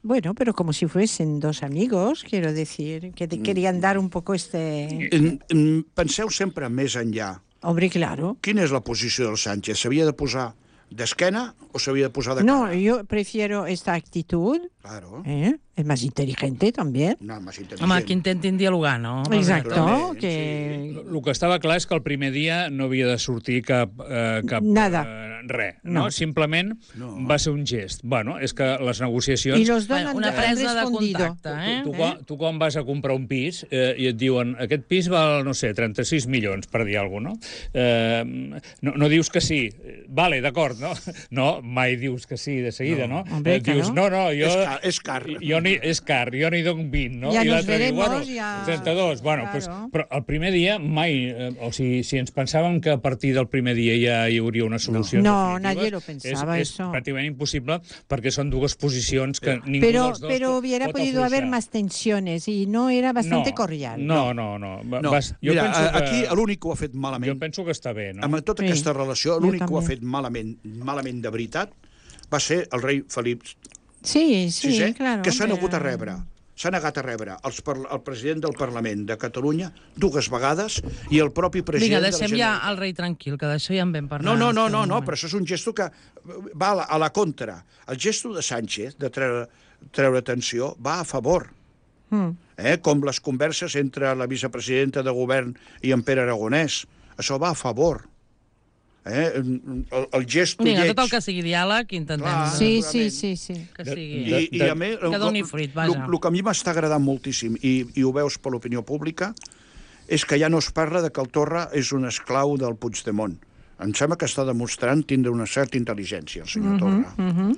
S3: Bueno, pero como si fuesen dos amigos, quiero decir, que te querían dar un poco este...
S5: En, en, penseu sempre més enllà.
S3: Hombre, claro.
S5: Quina és la posició del Sánchez? S'havia de posar d'esquena o s'havia de posar de cara?
S3: No, yo prefiero esta actitud.
S5: Claro.
S3: ¿eh? Es más inteligente también.
S5: No, més intel·ligent.
S2: Home, que intentin dialogar, no?
S3: Exacto.
S5: Naturalment,
S3: Que...
S4: El que estava clar és que el primer dia no havia de sortir cap... Eh, cap
S3: Nada.
S4: Eh, res, no?
S3: No.
S4: Simplement
S5: No.
S4: va ser un gest. Bueno, és que les negociacions...
S3: Y los dos
S2: Bueno,
S3: han,
S2: una
S3: han
S2: presa de
S3: respondido.
S2: contacte, eh?
S4: Tu, tu, quan, tu quan vas a comprar un pis eh, i et diuen aquest pis val, no sé, trenta-sis milions, per dir alguna cosa, no? Eh, no? No dius que sí. Vale, d'acord, no? No, mai dius que sí de seguida, no?
S3: No, hombre,
S4: eh, dius,
S3: claro.
S4: no, no, jo...
S5: És car, és car.
S4: Jo ni, és car, jo n'hi dono vint, no?
S3: Ja
S4: I
S3: nos
S4: l'altre diu,
S3: veremos,
S4: bueno,
S3: ja...
S4: trenta-dos, bueno,
S3: Claro.
S4: pues, però el primer dia mai, eh, o sigui, si ens pensàvem que a partir del primer dia ja hi hauria una solució
S3: No,
S4: definitiva,
S3: nadie lo pensaba
S4: és, és
S3: eso.
S4: pràcticament impossible perquè són dues posicions que ningú
S3: Pero,
S4: dels dos
S3: pero
S4: pot,
S3: hubiera
S4: pot
S3: podido haber
S4: afluixar.
S3: más tensiones y no era bastante
S4: no,
S3: cordial.
S4: No, no, no. Va-
S5: No,
S4: Vas, jo
S5: mira,
S4: penso que,
S5: aquí l'únic que ho ha fet
S4: jo
S5: malament,
S4: penso que està bé, no?
S5: amb tota
S3: Sí,
S5: aquesta relació,
S3: jo
S5: l'únic que ho ha
S3: també.
S5: fet malament, malament de veritat, va ser el rei Felip
S3: Sí, sí,
S5: sisè,
S3: claro.
S5: que s'ha
S3: pero-
S5: negut a rebre. S'ha negat a rebre els par el president del Parlament de Catalunya dues vegades i el propi president
S2: Vinga,
S5: de la
S2: deixem ja
S5: Generalitat.
S2: el rei tranquil, que d'això ja en vam parlar.
S5: No, no, no,
S2: fa
S5: no,
S2: un
S5: no,
S2: moment.
S5: però això és un gesto que va a la, a la contra. El gesto de Sánchez de treure, treure atenció va a favor.
S3: Mm.
S5: Eh? Com les converses entre la vicepresidenta de govern i en Pere Aragonès. Això va a favor. Eh? El, el gesto
S2: Vinga,
S5: lleig...
S2: tot el que sigui diàleg, intentem
S5: Clar.
S3: Sí, sí, sí, sí.
S2: que
S4: De-
S2: sigui...
S5: I, i a més,
S2: Que doni fruit, vaja.
S5: El que a mi m'està agradant moltíssim, i, i ho veus per l'opinió pública, és que ja no es parla de que el Torra és un esclau del Puigdemont. Em sembla que està demostrant tindre una certa intel·ligència, el senyor Torra,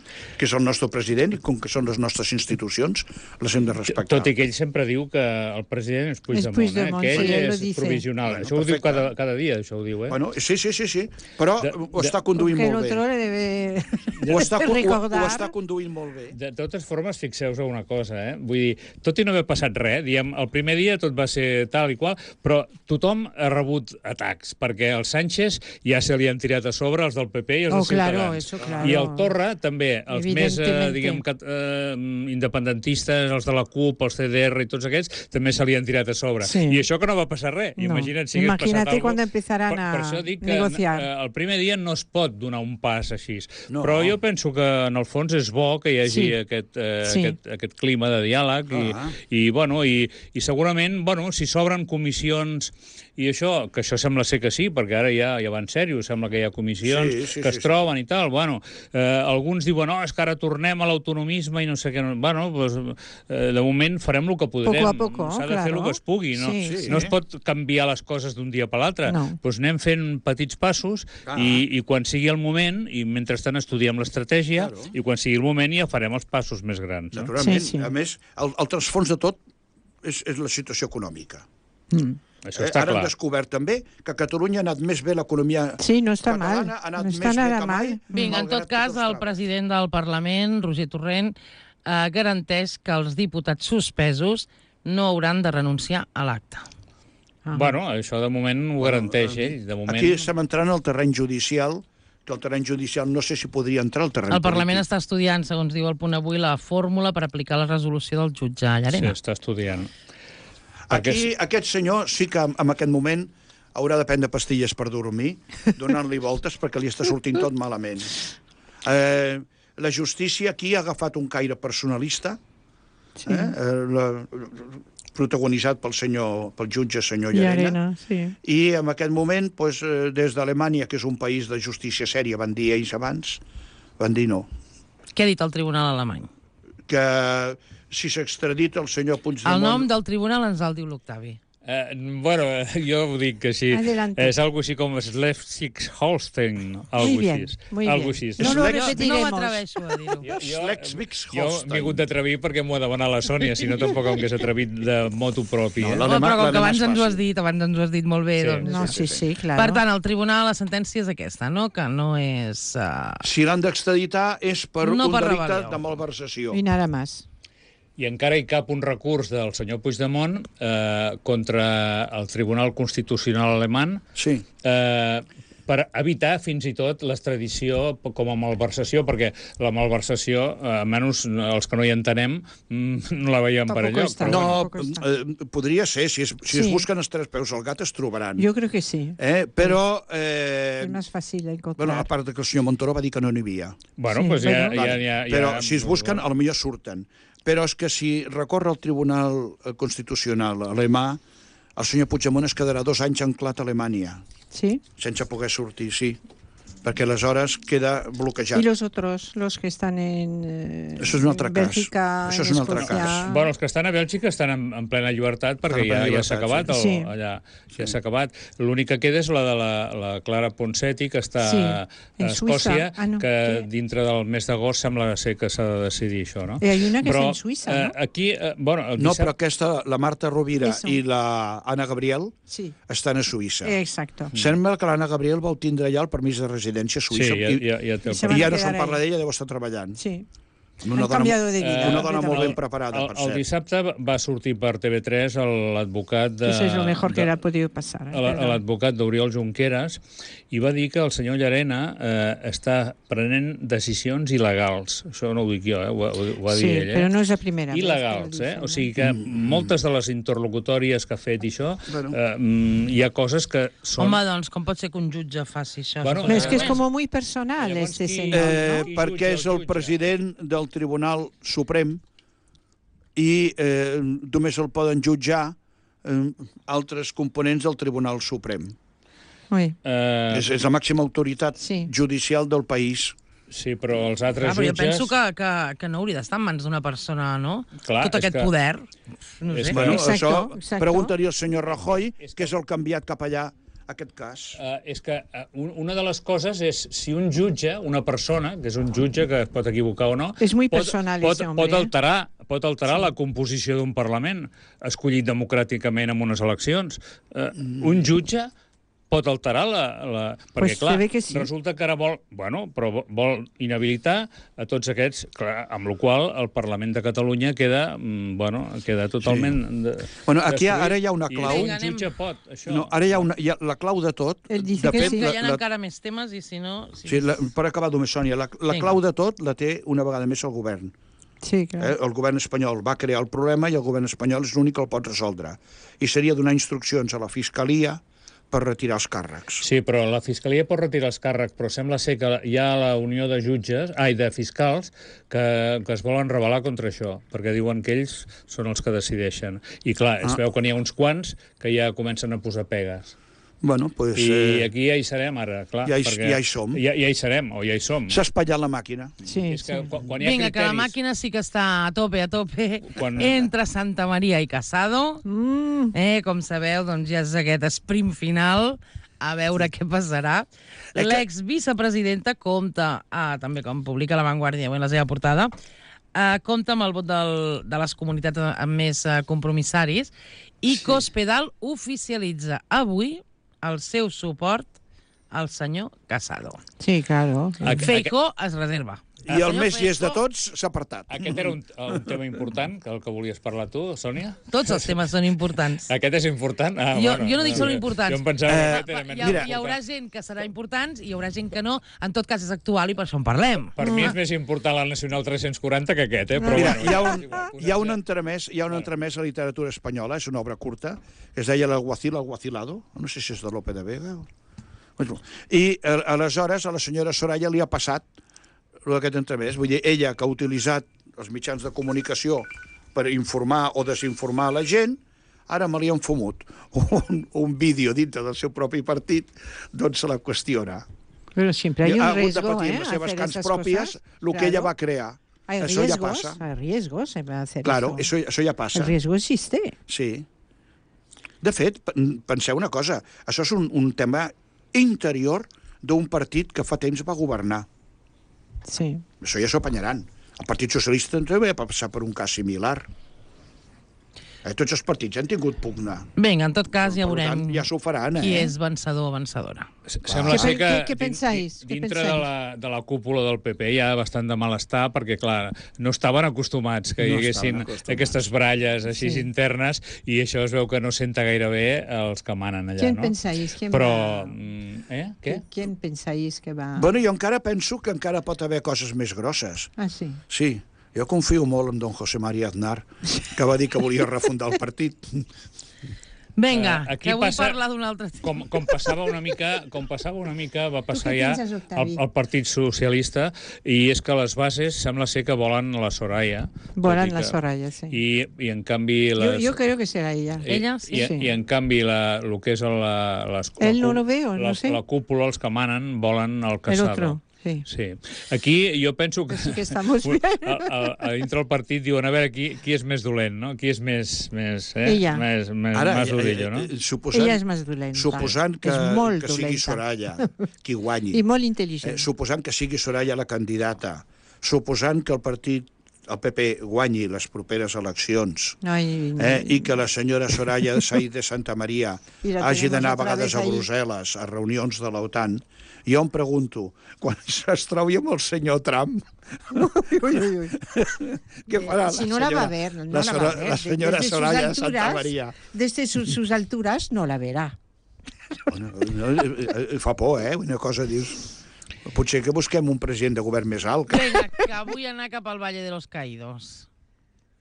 S5: que és el nostre president i com que són les nostres institucions, les hem de respectar.
S4: Tot i que ell sempre diu que el president és Puigdemont,
S3: Puigdemont,
S4: eh? que ell
S3: sí, ell lo
S4: és
S3: dice.
S4: provisional.
S5: Bueno,
S4: Això ho diu
S5: perfecte.
S4: cada, cada dia, això ho diu, eh?
S5: Bueno, sí, sí, sí, sí, però
S4: De-
S5: ho
S4: de-
S5: està conduint
S3: Porque el
S5: molt
S3: otro
S5: bé.
S3: le debe
S5: Ho està, ho, ho
S3: recordar.
S5: està conduint molt bé.
S4: De totes formes, fixeu-vos una cosa, eh? Vull dir, tot i no haver passat res, diem, el primer dia tot va ser tal i qual, però tothom ha rebut atacs, perquè el Sánchez ja se li han tirat a sobre els del P P i els
S3: Oh,
S4: de
S3: claro,
S4: Ciutadans.
S3: eso, claro.
S4: I el Torra també, els més, eh,
S3: Evidentemente.
S4: diguem, cat, eh, independentistes, els de la CUP, els C D R i tots aquests, també se li han tirat a sobre.
S3: Sí.
S4: I això que no va passar res.
S3: No.
S4: Imagina't si hagués
S3: Imagínate
S4: passat alguna
S3: cuando empezaran
S4: per, per
S3: a
S4: això dic que
S3: negociar.
S4: eh, el primer dia no es pot donar un pas així.
S5: No.
S4: Però jo penso que en el fons és bo que hi hagi
S3: Sí.
S4: aquest, eh,
S3: Sí.
S4: aquest, aquest clima de diàleg i,
S5: Ah.
S4: i, bueno, i, i segurament, bueno, si s'obren comissions i això, que això sembla ser que sí, perquè ara ja, ja va en sèrio, sembla que hi ha comissions
S5: Sí, sí,
S4: que
S5: sí,
S4: es troben i tal, bueno, eh, alguns diuen, no, és que ara tornem a l'autonomisme i no sé què, bueno, doncs, eh, de moment farem el que podrem,
S3: Poco a poco,
S4: s'ha de fer
S3: claro.
S4: el que es pugui, no,
S3: Sí,
S5: sí.
S4: no es pot canviar les coses d'un dia per l'altre,
S3: No.
S4: doncs anem fent petits passos
S5: Ah.
S4: i, i quan sigui el moment, i mentrestant estudiem l'estratègia,
S5: Claro.
S4: i quan sigui el moment ja farem els passos més grans. No?
S5: Naturalment.
S3: Sí, sí.
S5: A més, el, el transfons de tot és, és la situació econòmica.
S3: Mm.
S4: Això
S5: Eh,
S4: està
S5: Ara hem
S4: clar.
S5: descobert també que a Catalunya ha anat més bé l'economia
S3: Sí, no está mal.
S5: catalana, ha anat
S3: No
S5: més
S3: está
S5: bé
S3: nada
S5: que mai.
S3: mal.
S2: Vinga, en
S5: malgrat
S2: tot cas,
S5: tots els
S2: el
S5: traves.
S2: president del Parlament, Roger Torrent, eh, garanteix que els diputats suspesos no hauran de renunciar a l'acte.
S3: Ah.
S4: Bueno, això de moment ho garanteix ell. De moment...
S5: Aquí estem entrant al terreny judicial, que el terreny judicial no sé si podria entrar al terreny
S2: El Parlament
S5: polític.
S2: està estudiant, segons diu el punt avui, la fórmula per aplicar la resolució del jutge
S4: Sí,
S2: Llarena.
S4: està estudiant.
S5: Aquí,
S4: Perquè-
S5: aquest senyor sí que en aquest moment haurà de prendre pastilles per dormir, donant-li voltes perquè li està sortint tot malament. Eh, la justícia aquí ha agafat un caire personalista,
S3: Sí.
S5: eh, eh, la, protagonitzat pel senyor, pel jutge senyor
S3: Y
S5: Llarena,
S3: arena, sí.
S5: i en aquest moment, pues, eh, des d'Alemanya, que és un país de justícia sèria, van dir ells abans, van dir no.
S2: Què ha dit el tribunal alemany?
S5: Que si s'extradita el senyor Puigdemont...
S2: El nom del tribunal ens el diu l'Octavi.
S4: Eh, bueno, eh, jo ho dic així.
S3: Adelante.
S4: És algo així com Schleswig-Holstein. Algo
S3: Muy bien,
S4: així.
S3: muy
S4: Algo
S3: bien.
S4: així.
S3: No lo
S5: Slex-
S2: No
S3: repetiremos.
S2: m'atreveixo a dir-ho.
S4: Jo, jo, jo
S5: Schleswig-Holstein.
S4: m'he hagut d'atrevir perquè m'ho ha demanat la Sònia, si no tampoc em hagués atrevit de moto propi.
S5: No,
S4: Eh?
S5: la
S2: Home,
S5: demà-
S2: però com
S5: la
S2: que
S5: demà
S2: abans
S5: és
S2: ens ho has
S5: fàcil.
S2: dit, abans ens ho has dit molt bé,
S4: Sí.
S2: doncs...
S3: No, sí, sí, claro.
S2: Per tant, el tribunal, la sentència és aquesta, no? Que no és... Uh...
S5: Si l'han d'extraditar és per
S2: No
S5: un
S2: per
S5: delicte
S2: rebel·lió.
S5: de malversació.
S3: Y nada más.
S4: I encara hi cap un recurs del senyor Puigdemont eh, contra el Tribunal Constitucional alemany
S5: Sí.
S4: eh, per evitar fins i tot l'extradició com a malversació, perquè la malversació, eh, almenys els que no hi entenem, no la veiem per
S3: Tampoco
S4: allò.
S3: està.
S4: Però
S5: No,
S3: Tampoco está.
S5: eh, podria ser, si, es, si
S3: Sí.
S5: es busquen els tres peus al gat es trobaran.
S3: Yo creo que sí.
S5: Eh? Però, eh,
S3: Es más fácil de encontrar.
S5: bueno, a part de que el senyor Montoro va dir que no n'hi havia.
S4: bueno,
S3: Sí,
S4: doncs ja,
S3: bueno.
S4: ja,
S5: Vale.
S4: ja, ja,
S5: Però
S4: ja,
S5: si es busquen, a lo millor surten. Però és que si recorre al Tribunal Constitucional alemà, el senyor Puigdemont es quedarà dos anys anclat a Alemanya,
S3: Sí.
S5: sense poder sortir, sí. Perquè aleshores queda bloquejat.
S3: Y los otros, los que están en, eh,
S5: Això és un altre
S3: en
S5: cas.
S3: Bélgica,
S5: Això és
S3: en
S5: un altre
S3: Escocia.
S5: cas.
S4: Bueno, els que estan a Bèlgica estan en, en plena llibertat perquè
S5: Estan en plena
S4: ja, ja
S5: llibertat,
S4: s'ha acabat,
S3: sí.
S4: el,
S3: Sí.
S4: allà, ja s'ha acabat. L'únic que queda és la de la, la Clara Ponseti, que està
S3: Sí,
S4: a
S3: en
S4: Escòcia,
S3: Suïssa. Ah, no,
S4: que
S3: que-
S4: dintre del mes d'agost sembla ser que s'ha de decidir això, no?
S3: Y hay una que
S4: Però,
S3: está en Suiza, ¿no?
S4: eh, aquí, eh, bueno, el
S5: No,
S4: dissabte...
S5: però aquesta, la Marta Rovira
S3: Eso.
S5: i la Anna Gabriel
S3: Sí.
S5: estan a Suïssa.
S3: Exacto.
S5: Sembla que l'Anna Gabriel va obtindre ja el permís de residència a
S4: Sí,
S5: Suïssa
S4: ja,
S5: i,
S4: ja, ja té el
S3: I se
S5: i
S3: van
S5: ja
S3: a
S5: no
S3: quedar
S5: se'n parla
S3: ahí.
S5: d'ella, deu estar treballant.
S3: Sí.
S5: Una
S3: Han
S5: dona,
S3: cambiado de vida.
S5: una dona molt ben
S3: completamente.
S5: preparada,
S4: el,
S5: per
S4: el
S5: cert.
S4: dissabte va sortir per T V tres l'advocat de...
S3: Eso es lo mejor que
S4: de-
S3: le ha podido pasar. ¿eh?
S4: a la- a
S3: Perdón.
S4: l'advocat d'Oriol Junqueras i va dir que el senyor Llarena eh, està prenent decisions il·legals. Això no ho dic jo, eh? ho, ho, ho va
S3: Sí,
S4: dir ell. Eh?
S3: pero no es la primera vez que lo
S4: Il·legals,
S3: dicen,
S4: eh? O sigui que moltes de les interlocutòries que ha fet i això,
S5: Bueno.
S4: eh, mm, hi ha coses que són...
S2: Home, doncs, com pot ser que un jutge faci això?
S4: Bueno,
S3: Pero es que es
S4: Eh,
S3: como muy personal
S4: llavors
S3: este
S4: qui-
S3: señor,
S5: Eh,
S3: ¿no?
S4: Qui
S5: perquè
S4: jutja,
S5: és
S4: el
S5: el
S4: jutge?
S5: president del Tribunal Suprem i eh, només el poden jutjar eh, altres components del Tribunal Suprem.
S3: Uy.
S4: Eh,
S5: És, és la màxima autoritat
S3: Sí.
S5: judicial del país.
S4: sí, però els altres
S2: Ah, però jo
S4: jutges...
S2: penso que, que, que no hauria d'estar en mans d'una persona, no?
S4: Clar,
S2: Tot
S4: és
S2: aquest
S4: que-
S2: poder. No
S4: és
S2: sé.
S4: que-
S5: Bueno,
S3: Exacto,
S5: això
S3: exacto.
S5: preguntaria al senyor Rajoy, que és el que ha enviat cap allà aquest cas.
S4: Uh, és que uh, un, una de les coses és si un jutge, una persona, que és un jutge que es pot equivocar o no...
S3: És muy
S4: pot,
S3: personal
S4: pot,
S3: ese hombre,
S4: pot alterar, pot alterar sí. la composició d'un Parlament escollit democràticament en unes eleccions. Uh, mm. Un jutge pot alterar la... la perquè,
S3: Pues
S4: clar,
S3: se ve que sí.
S4: resulta que ara vol... Bueno, però vo- vol inhabilitar a tots aquests, clar, amb la qual el Parlament de Catalunya queda, mm, bueno, queda totalment... Sí. De,
S5: Bueno, aquí
S4: destruït.
S5: ara hi ha una clau.
S4: I
S2: Vinga,
S4: un
S2: anem.
S4: jutge pot, això.
S5: No, ara hi ha, una, hi ha la clau de tot.
S3: Ell dice
S5: de
S3: que
S5: fet,
S3: sí.
S2: Que
S5: la,
S2: hi ha
S5: la,
S2: encara més temes i si no... Si...
S5: sí, la, per acabar només, Sònia, la, la
S2: Vinga.
S5: clau de tot la té una vegada més el govern.
S3: Sí, claro.
S5: Eh? El govern espanyol va crear el problema i el govern espanyol és l'únic que el pot resoldre. I seria donar instruccions a la Fiscalia per retirar els càrrecs.
S4: Sí, però la Fiscalia pot retirar els càrrecs, però sembla ser que hi ha la unió de jutges, ai, de fiscals, que, que es volen rebel·lar contra això, perquè diuen que ells són els que decideixen. I clar, es
S5: Ah.
S4: veu que n'hi ha uns quants que ja comencen a posar pegues.
S5: Bueno, pues,
S4: I
S5: eh,
S4: aquí ja hi serem ara, clar.
S5: ja hi-
S4: perquè
S5: ja hi som.
S4: Ja, ja hi serem, o ja hi som.
S5: s'ha espatllat la màquina.
S3: Sí,
S4: És que
S3: sí.
S4: quan, quan hi ha
S2: Vinga, que la
S4: criteris...
S2: màquina sí que està a tope, a tope,
S4: Quan-
S2: entre Santa Maria i Casado.
S3: Mm,
S2: Eh, com sabeu, doncs ja és aquest sprint final, a veure què passarà.
S5: Eh, que-
S2: L'exvicepresidenta compta, ah, també com publica La Vanguardia en la seva portada, eh, compta amb el vot del, de les comunitats amb més eh, compromissaris i Cospedal oficialitza avui el seu suport al senyor Casado.
S3: sí, claro.
S4: Aqu-
S2: Feijó es reserva.
S5: I el
S2: senyor
S5: més llest de
S2: Feijó-
S5: tots s'ha apartat.
S4: Aquest era un, un tema important, que el que volies parlar tu, Sònia?
S2: Tots els temes són importants.
S4: Aquest és important? Ah,
S2: Jo-
S4: bueno,
S2: jo no dic són
S4: eh,
S2: importants.
S4: Jo em pensava que
S5: Eh,
S4: aquest era menys
S2: Hi, ha,
S5: Mira,
S2: hi haurà gent que serà importants i hi haurà gent que no. En tot cas, és actual i per això en parlem.
S4: Per mi és més important la Nacional tres-cents quaranta que aquest, eh? Però
S5: Mira,
S4: bueno,
S5: hi ha
S4: és
S5: un,
S4: igual,
S5: hi ha un
S4: posem-se-
S5: entremès, hi ha un entremès a la literatura espanyola, és una obra curta, que es deia L'Alguacil Alguacilado, no sé si és de Lope de Vega. o- Bueno, I eh, aleshores a la senyora Soraya li ha passat aquest entremès. Vull dir, ella que ha utilitzat els mitjans de comunicació per informar o desinformar la gent, ara me li han fumut un, un vídeo dintre del seu propi partit, doncs se la qüestiona.
S3: Pero siempre hay
S5: I
S3: un
S5: ha hagut de
S3: riesgo,
S5: patir
S3: ¿eh?
S5: amb les seves
S3: hacer
S5: cants
S3: esas
S5: pròpies
S3: cosas.
S5: el que ella va crear.
S3: Hay
S5: Això ja
S3: riesgos,
S5: passa.
S3: hay riesgos en hacer
S5: Claro,
S3: eso.
S5: això, això ja passa.
S3: El riesgo existe.
S5: Sí. De fet, pen- penseu una cosa, això és un, un tema interior d'un partit que fa temps va governar.
S3: Sí.
S5: Això ja s'ho apanyaran. El Partit Socialista també va passar per un cas similar. Eh, tots els partits han tingut pugna.
S2: Vinga, en tot cas, ja
S5: Per
S2: veurem
S5: tant, ja s'ho faran,
S2: qui
S5: eh?
S2: és vencedor o vencedora.
S4: Sembla
S3: Què
S4: ser
S3: pen-
S4: que
S3: què- què
S4: din-
S3: pensáis?
S4: din-
S3: Què
S4: dintre de
S3: pensáis?
S4: la, de la cúpula del P P hi ha bastant de malestar perquè, clar, no estaven acostumats que hi
S5: No
S4: haguessin
S5: estaven acostumats.
S4: aquestes baralles així
S3: Sí.
S4: internes i això es veu que no senta gaire bé els que manen allà,
S3: ¿Quién
S4: no?
S3: pensáis? ¿Quién
S4: Però
S3: va-
S4: mm, Eh? Què?
S3: ¿Quién pensáis que va...?
S5: Bueno, jo encara penso que encara pot haver coses més grosses.
S3: Ah, sí.
S5: Sí, jo confio molt en don José María Aznar, que va dir que volia refundar el partit.
S2: Vinga,
S4: Eh, aquí
S2: que vull
S4: passa-
S2: parlar d'un altre tema.
S4: Com, com passava una mica, com passava una mica, va passar
S3: què
S4: ja
S3: penses, Octavi?
S4: el, el Partit Socialista, i és que les bases sembla ser que volen la Soraya.
S3: Volen
S4: tot i
S3: la
S4: que-
S3: Soraya, sí.
S4: I, i en canvi...
S3: Yo,
S4: Les,
S3: yo creo que será ella.
S4: i,
S2: Ella, sí.
S4: I,
S3: Sí.
S4: I en canvi la, el que és la, les,
S3: Él
S4: la,
S3: no lo veo,
S4: la,
S3: no sé.
S4: la cúpula, els que manen, volen el
S3: El
S4: Casado.
S3: otro, sí.
S4: Sí. Aquí jo penso que...
S3: Pues sí que estamos bien.
S4: a, a, a dintre del partit diuen, a veure, qui, qui és més dolent, no? Qui és més... més eh?
S3: Ella.
S4: Més, més,
S5: Ara,
S4: més udillo, no?
S5: eh, eh, suposant,
S3: Ella és més dolenta.
S5: suposant que,
S3: És molt
S5: que sigui
S3: dolenta.
S5: Soraya qui guanyi,
S3: I molt
S5: eh,
S3: intel·ligent.
S5: suposant que sigui Soraya la candidata, suposant que el partit, el P P, guanyi les properes eleccions,
S3: Ai,
S5: eh, i que la senyora Soraya Said de Santa Maria
S3: I la
S5: hagi
S3: tenemos
S5: d'anar a
S3: otra
S5: vegades
S3: vez
S5: a
S3: ahí.
S5: Brussel·les, a reunions de l'OTAN, jo em pregunto, quan es trobi amb el senyor Trump,
S3: Uy, uy, uy.
S5: què farà
S3: Si
S5: la
S3: no la va
S5: senyora,
S3: a ver, no
S5: la,
S3: la va a
S5: sora-
S3: ver.
S5: la senyora
S3: Desde sus
S5: Soraya de Santa
S3: alturas-
S5: Maria?
S3: Desde sus, sus alturas no la verá.
S5: No, no, eh, eh, fa por, eh? Una cosa dius... Potser que busquem un president de govern més alt. Que...
S2: Vinga, que vull anar cap al Valle de los Caídos.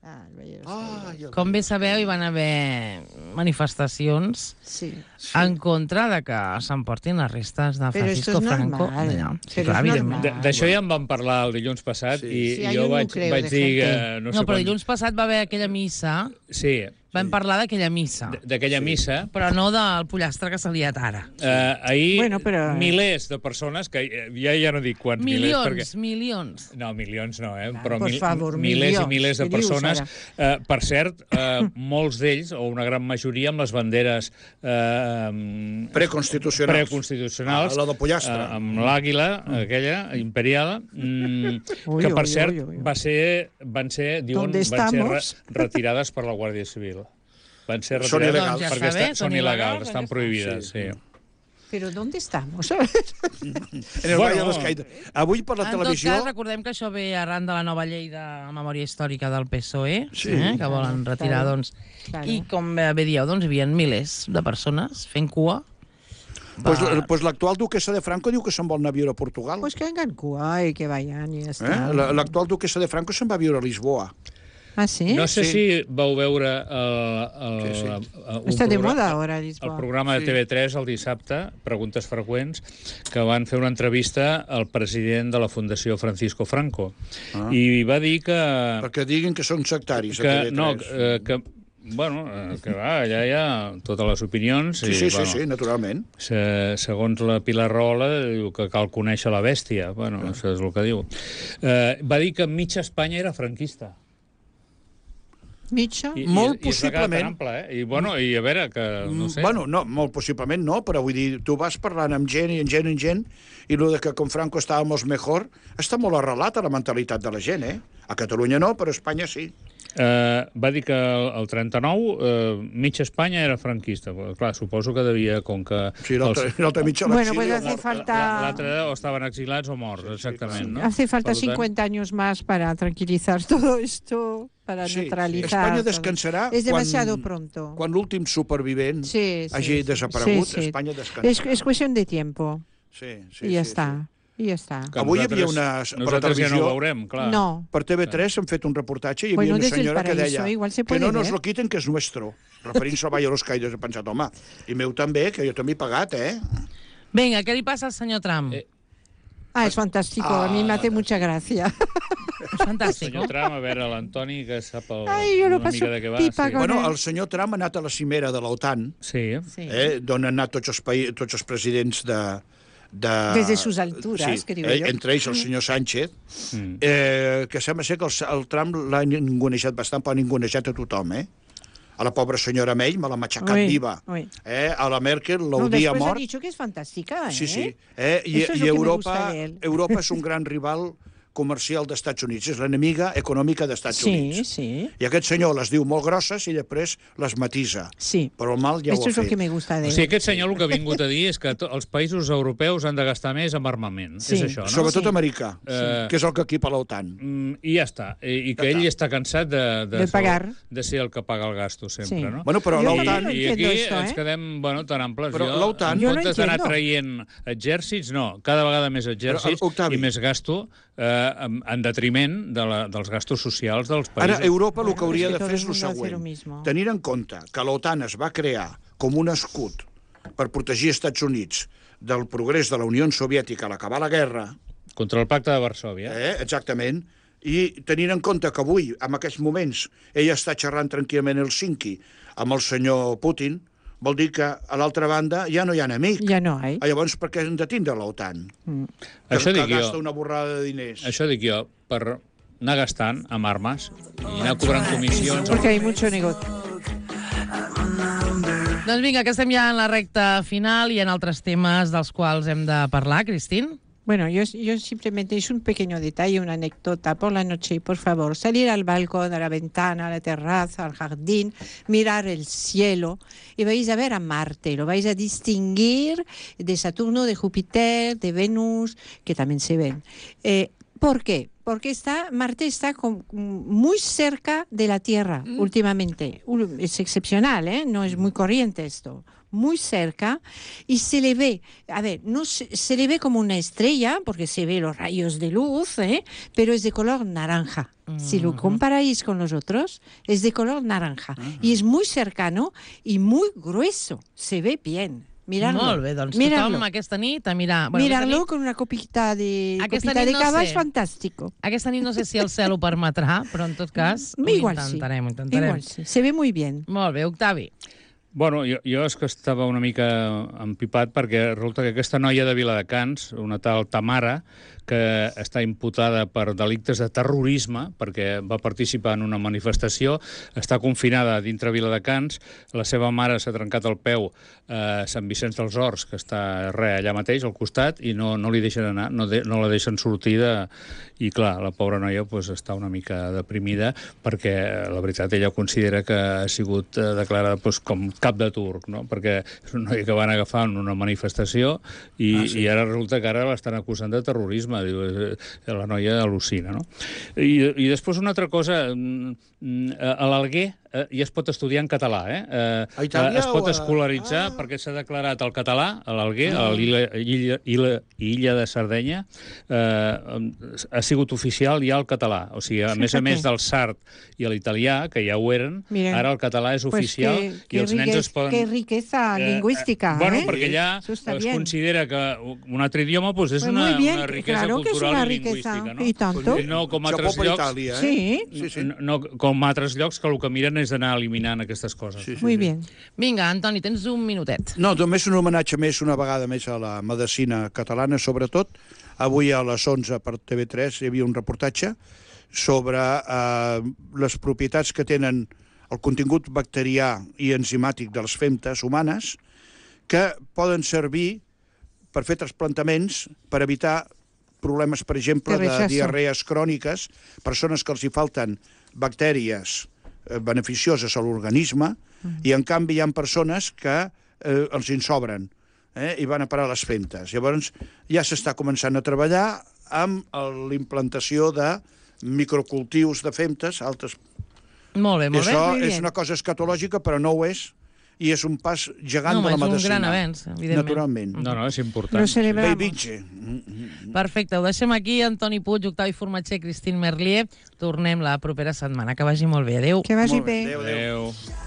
S3: Ah, el Valle de los
S5: Ah,
S3: Caídos.
S5: jo...
S2: Com bé sabeu, hi van haver manifestacions
S3: Sí.
S2: en contra de que s'emportin les restes de
S3: Però
S2: Francisco
S3: esto es
S2: Franco.
S3: normal.
S2: d'allà. Sí,
S3: Però
S2: clar,
S3: és
S2: evidentment.
S3: normal.
S4: D- D'això ja en vam parlar el dilluns passat
S5: Sí.
S4: i
S3: Sí, hay
S4: jo
S3: un
S4: vaig,
S3: nucleo
S4: vaig
S3: de
S4: dir que...
S3: gente.
S4: No,
S2: No,
S4: sé
S2: però
S4: quan-
S2: dilluns passat va haver aquella missa.
S4: Sí,
S2: Vam parlar d'aquella missa.
S4: d- d'aquella missa.
S2: Però no del pollastre que s'ha liat ara.
S4: Eh, ahir,
S3: Bueno, però-
S4: milers de persones, que eh, ja, ja no dic quants
S2: Milions,
S4: milers, perquè...
S2: milions.
S4: No, milions no, eh?
S3: Clar,
S4: però
S3: por
S4: mil,
S3: favor,
S4: milers
S3: milions.
S4: i milers de
S3: Què dius,
S4: persones.
S3: ara?
S4: Eh, per cert, eh, molts d'ells, o una gran majoria, amb les banderes eh,
S5: Preconstitucionals.
S4: preconstitucionals,
S5: Ah, la del pollastre.
S4: eh, amb l'àguila, aquella, imperial, mm,
S3: Ui,
S4: que, per
S3: ui,
S4: cert,
S3: ui, ui.
S4: va ser, van ser, diuen,
S3: ¿Dónde
S4: van ser re,
S3: estamos?
S4: retirades per la Guàrdia Civil. Van ser
S5: Són
S4: retirades
S5: il·legals.
S2: Doncs ja
S4: perquè
S2: està bé,
S4: estan,
S2: són
S4: són il·legals,
S2: il·legals,
S4: estan
S2: ja està.
S4: prohibides. Sí.
S5: Sí.
S3: Però ¿dónde estamos?
S5: En el
S4: Bueno.
S5: Valle de los Caídos. Avui per la
S2: En tot
S5: televisió...
S2: cas, recordem que això ve arran de la nova llei de memòria històrica del P S O E,
S5: Sí.
S2: eh, que volen retirar,
S3: Claro,
S2: doncs...
S3: claro.
S2: I com bé dieu, doncs, hi havia milers de persones fent cua.
S5: Pues,
S2: Va-
S5: pues l'actual duquesa de Franco diu que se'n vol anar a viure a Portugal.
S3: Pues que hagan Cuba y que vayan y ya
S5: Eh?
S3: está.
S5: La- L'actual duquesa de Franco se'n va a viure a Lisboa.
S3: ¿Ah, sí?
S4: No sé
S5: Sí.
S4: si vau veure el, el,
S5: Sí, sí.
S4: el, un
S3: Está de
S4: programa-
S3: moda ahora
S4: el
S3: Lisboa.
S4: programa de
S5: Sí.
S4: T V tres el dissabte, Preguntes freqüents, que van fer una entrevista al president de la Fundació Francisco Franco.
S5: Ah.
S4: I va dir que...
S5: Perquè diguin que són sectaris a
S4: que
S5: T V tres.
S4: no, eh, que bueno, eh, que va, allà hi ha totes les opinions.
S5: Sí,
S4: i,
S5: sí, sí,
S4: bueno,
S5: sí, naturalment.
S4: Se, segons la Pilar Rola, diu que cal conèixer la bèstia. Bueno, això és el que diu. Eh, va dir que mitja Espanya era franquista.
S3: Mitja?
S4: I,
S5: Molt
S4: i, i és una cara tan
S5: possiblement.
S4: ampla, eh? I, bueno, i a veure, que no sé...
S5: Bueno, no, molt possiblement no, però vull dir, tu vas parlant amb gent i amb gent i amb gent, i el de que con Franco estàvem mejor està molt arrelat a la mentalitat de la gent, eh? A Catalunya no, però a Espanya sí.
S4: Eh, va dir que el, el trenta-nou eh, mitja Espanya era franquista. Però, clar, suposo que devia, com que...
S5: Sí, l'altra
S4: els-
S5: l'altra mitja a
S3: Bueno,
S5: l'exili
S3: pues
S5: o
S3: hace
S5: mort.
S3: falta...
S4: L'altre o estaven exilats o morts, exactament. No?
S3: Hace falta
S4: Per tant,
S3: cincuenta años más para tranquilizar todo esto, para
S5: Sí,
S3: neutralizar.
S5: Espanya
S3: todo.
S5: descansarà
S3: Es demasiado
S5: quan,
S3: pronto.
S5: quan l'últim supervivent
S3: Sí, sí,
S5: hagi
S3: sí.
S5: desaparegut,
S3: Sí, sí.
S5: Espanya descansarà.
S3: Es, es cuestión de tiempo.
S5: Sí, sí,
S3: y ya
S5: sí,
S3: está. Y ya está.
S4: que
S5: Avui hi havia
S4: nosaltres-
S5: una- per la
S4: Nosaltres ja no
S5: televisió-
S4: ho veurem, clar.
S3: No.
S5: Sí. Per T V tres hem fet un reportatge i hi havia
S3: Bueno,
S5: una
S3: desde el
S5: senyora que
S3: paraíso,
S5: deia
S3: igual se
S5: que
S3: puede
S5: no nos
S3: ver.
S5: lo quiten, que és nuestro. Referint-se al Valle de los Caídos. He pensat, home, i meu també, que jo també he pagat, eh?
S2: Vinga, què li passa al senyor Trump?
S4: Eh,
S3: Ah, es fantástico. A mí me hace mucha gracia.
S2: És fantàstic,
S4: Senyor
S2: no?
S4: Trump, a veure, l'Antoni, que sap el,
S3: Ai, jo no
S4: una
S3: passo
S4: mica de què va.
S3: pipa
S4: sí.
S3: con-
S5: Bueno,
S3: él.
S5: el senyor Trump ha anat a la cimera de l'OTAN,
S4: Sí.
S2: Sí.
S5: eh, d'on han anat tots els, paï tots els presidents de... de...
S3: Desde sus alturas,
S5: sí,
S3: que digo
S5: eh,
S3: yo.
S5: entre ells el senyor Sánchez,
S4: Mm.
S5: eh, que sembla ser que el, el Trump l'ha ningunejat bastant, però ha ningunejat a tothom, eh? A la pobra senyora May me l'ha matxacat
S3: Ui,
S5: viva.
S3: ui.
S5: Eh? A la Merkel
S3: No,
S5: l'odia
S3: después ha
S5: mort.
S3: dicho que es fantástica, ¿eh?
S5: Sí, sí. Eh? I,
S3: Eso es
S5: i
S3: lo que me
S5: Europa,
S3: gusta de él.
S5: Europa és un gran rival comercial dels Estats Units, és l'enemiga econòmica dels Estats
S3: Sí,
S5: Units.
S3: sí.
S5: I aquest senyor les diu molt grosses i després les matisa.
S3: Sí.
S5: Però el mal ja
S3: Esto
S5: ho
S3: es
S5: ha
S3: lo que
S5: fet.
S3: me gusta de
S4: O
S3: él.
S4: sigui, aquest senyor el que ha vingut a dir és que to- els països europeus han de gastar més en armament.
S3: Sí.
S4: És això, no?
S5: Sobretot
S3: Sí.
S5: americà,
S4: Eh,
S5: que és el que equipa l'OTAN.
S4: Mm, I ja està. I, i que
S5: Ja
S4: ell
S5: està.
S4: està cansat de, de,
S3: De pagar.
S4: de ser el que paga el gasto sempre,
S3: Sí.
S4: no?
S5: Bueno, però
S3: Jo
S5: l'OTAN...
S3: no
S4: I, I
S3: entiendo
S4: aquí
S3: esto,
S4: ens
S3: eh?
S4: quedem, bueno, tan amples.
S5: Però
S4: jo,
S5: l'OTAN-
S4: en
S3: Jo no
S4: comptes d'anar
S3: entiendo.
S4: traient exèrcits, no, cada vegada més exèrcits
S5: Però, Octavi.
S4: i més gasto eh, en, en detriment de la, dels gastos socials dels països.
S5: Ara, Europa el
S3: Bueno,
S5: que hauria
S3: es que
S5: de
S3: todo
S5: fer
S3: el
S5: és el
S3: mundo hace lo
S5: següent.
S3: mismo.
S5: Tenir en compte que l'OTAN es va crear com un escut per protegir els Estats Units del progrés de la Unió Soviètica a l'acabar la guerra,
S4: Contra el pacte de Varsòvia.
S5: eh, exactament, i tenint en compte que avui, en aquests moments, ella està xerrant tranquil·lament a Helsinki amb el senyor Putin, vol dir que a l'altra banda ja no hi ha enemic.
S3: Ya no hay.
S5: Ah, llavors, per què hem de tindre l'OTAN? Que,
S4: Això
S5: que
S4: dic jo.
S5: gasta una borrada de diners.
S4: Això dic jo, per anar gastant amb armes i anar cobrant comissions.
S3: Porque hay mucho negocio.
S2: Doncs vinga, que estem ja en la recta final i en altres temes dels quals hem de parlar, Cristín.
S3: Bueno, yo, yo simplemente es un pequeño detalle, una anécdota por la noche, por favor, salir al balcón, a la ventana, a la terraza, al jardín, mirar el cielo y vais a ver a Marte, lo vais a distinguir de Saturno, de Júpiter, de Venus, que también se ven. Eh, ¿Por qué? Porque está, Marte está con- muy cerca de la Tierra últimamente. Un- Es excepcional, ¿eh? No es muy corriente esto. Muy cerca y se le ve, a ver, no se, se le ve como una estrella porque se ve los rayos de luz, ¿eh? Pero es de color naranja. Si lo comparáis con los otros, es de color naranja y es muy cercano y muy grueso. Se ve bien. Miradlo.
S2: Molt bé, doncs
S3: Miradlo.
S2: tothom aquesta nit a mirar... Bueno, aquesta
S3: Miradlo
S2: nit,
S3: con una copita de,
S2: Aquesta
S3: copita
S2: nit
S3: de
S2: no
S3: cava
S2: sé.
S3: es fantástico.
S2: aquesta nit no sé si el cel ho permetrà, però en tot cas ho
S3: Igual sí.
S2: intentarem, ho intentarem.
S3: Igual sí. Se ve muy bien.
S2: Molt bé, Octavi.
S4: Bueno, jo, jo és que estava una mica empipat perquè resulta que aquesta noia de Viladecans, una tal Tamara, que està imputada per delictes de terrorisme, perquè va participar en una manifestació, està confinada dintre Viladecans, la seva mare s'ha trencat el peu a Sant Vicenç dels Horts, que està re, allà mateix, al costat, i no, no li deixen anar, no, de, no la deixen sortir de... I clar, la pobra noia pues, està una mica deprimida perquè, la veritat, ella considera que ha sigut eh, declarada pues, com cap de turc, no? Perquè és una noia que van agafar en una manifestació i, ah, sí. i ara resulta que ara l'estan acusant de terrorisme. Diu, eh, la noia al·lucina, no? I, i després una altra cosa, a l'Alguer eh, ja es pot estudiar en català, eh? eh
S5: A Itàlia
S4: es pot
S5: o a-
S4: escolaritzar
S5: Ah.
S4: perquè s'ha declarat el català a l'Alguer, a l'illa illa, illa, illa de Sardenya, eh, ha sigut oficial ja el català. O sigui, a
S3: Sí,
S4: més a
S3: per
S4: més
S3: què?
S4: del sard i l'italià, que ja ho eren,
S3: Miren,
S4: ara el català és
S3: Pues
S4: oficial
S3: qué,
S4: i
S3: qué
S4: els nens
S3: riqueza,
S4: es poden...
S3: qué riqueza
S4: Eh,
S3: lingüística.
S4: eh, bueno,
S3: ¿eh?
S4: perquè allà
S3: Eso está
S4: es
S3: bien.
S4: considera que un altre idioma pues, és
S3: Pues
S4: una,
S3: muy bien,
S4: una riquesa
S3: claro que es
S4: cultural
S3: una
S4: i
S3: riqueza.
S4: lingüística. No?
S3: Y tanto.
S4: No com
S5: Xapó
S4: altres
S5: per
S4: llocs,
S5: Itàlia, eh?
S3: Sí.
S5: Sí, sí.
S4: no, no com altres llocs que el que miren és d'anar eliminant aquestes coses.
S5: Sí, sí,
S3: Muy
S5: sí.
S3: bien.
S2: Vinga, Antoni, tens un minutet.
S5: No, només un homenatge més, una vegada més a la medicina catalana, sobretot. Avui a les onze per T V tres hi havia un reportatge sobre eh, les propietats que tenen el contingut bacterià i enzimàtic de les femtes humanes que poden servir per fer trasplantaments per evitar problemes, per exemple,
S3: De
S5: de
S3: rechazo.
S5: diarrees cròniques, persones que els hi falten bactèries eh, beneficioses a l'organisme, i en canvi hi ha persones que eh, els en sobren eh, i van a parar a les femtes. Llavors ja s'està començant a treballar amb el- l'implantació de microcultius de femtes, altres.
S2: Molt bé,
S5: I
S2: molt bé.
S5: això
S3: muy
S5: és
S3: bien.
S5: una cosa escatològica, però no ho és, i és un pas gegant
S2: No,
S5: de la
S2: és un
S5: medicina.
S2: gran avenç, evidentment.
S5: Naturalment.
S4: No, no, és important.
S3: Lo celebramos.
S5: Beivinge.
S2: Perfecte, ho deixem aquí. Antoni Puig, Octavi Formatger, Cristín Merlier. Tornem la propera setmana. Que vagi molt bé. Adéu.
S3: Que vagi
S5: Molt bé.
S3: bé.
S5: Adéu, adéu.
S4: Adéu.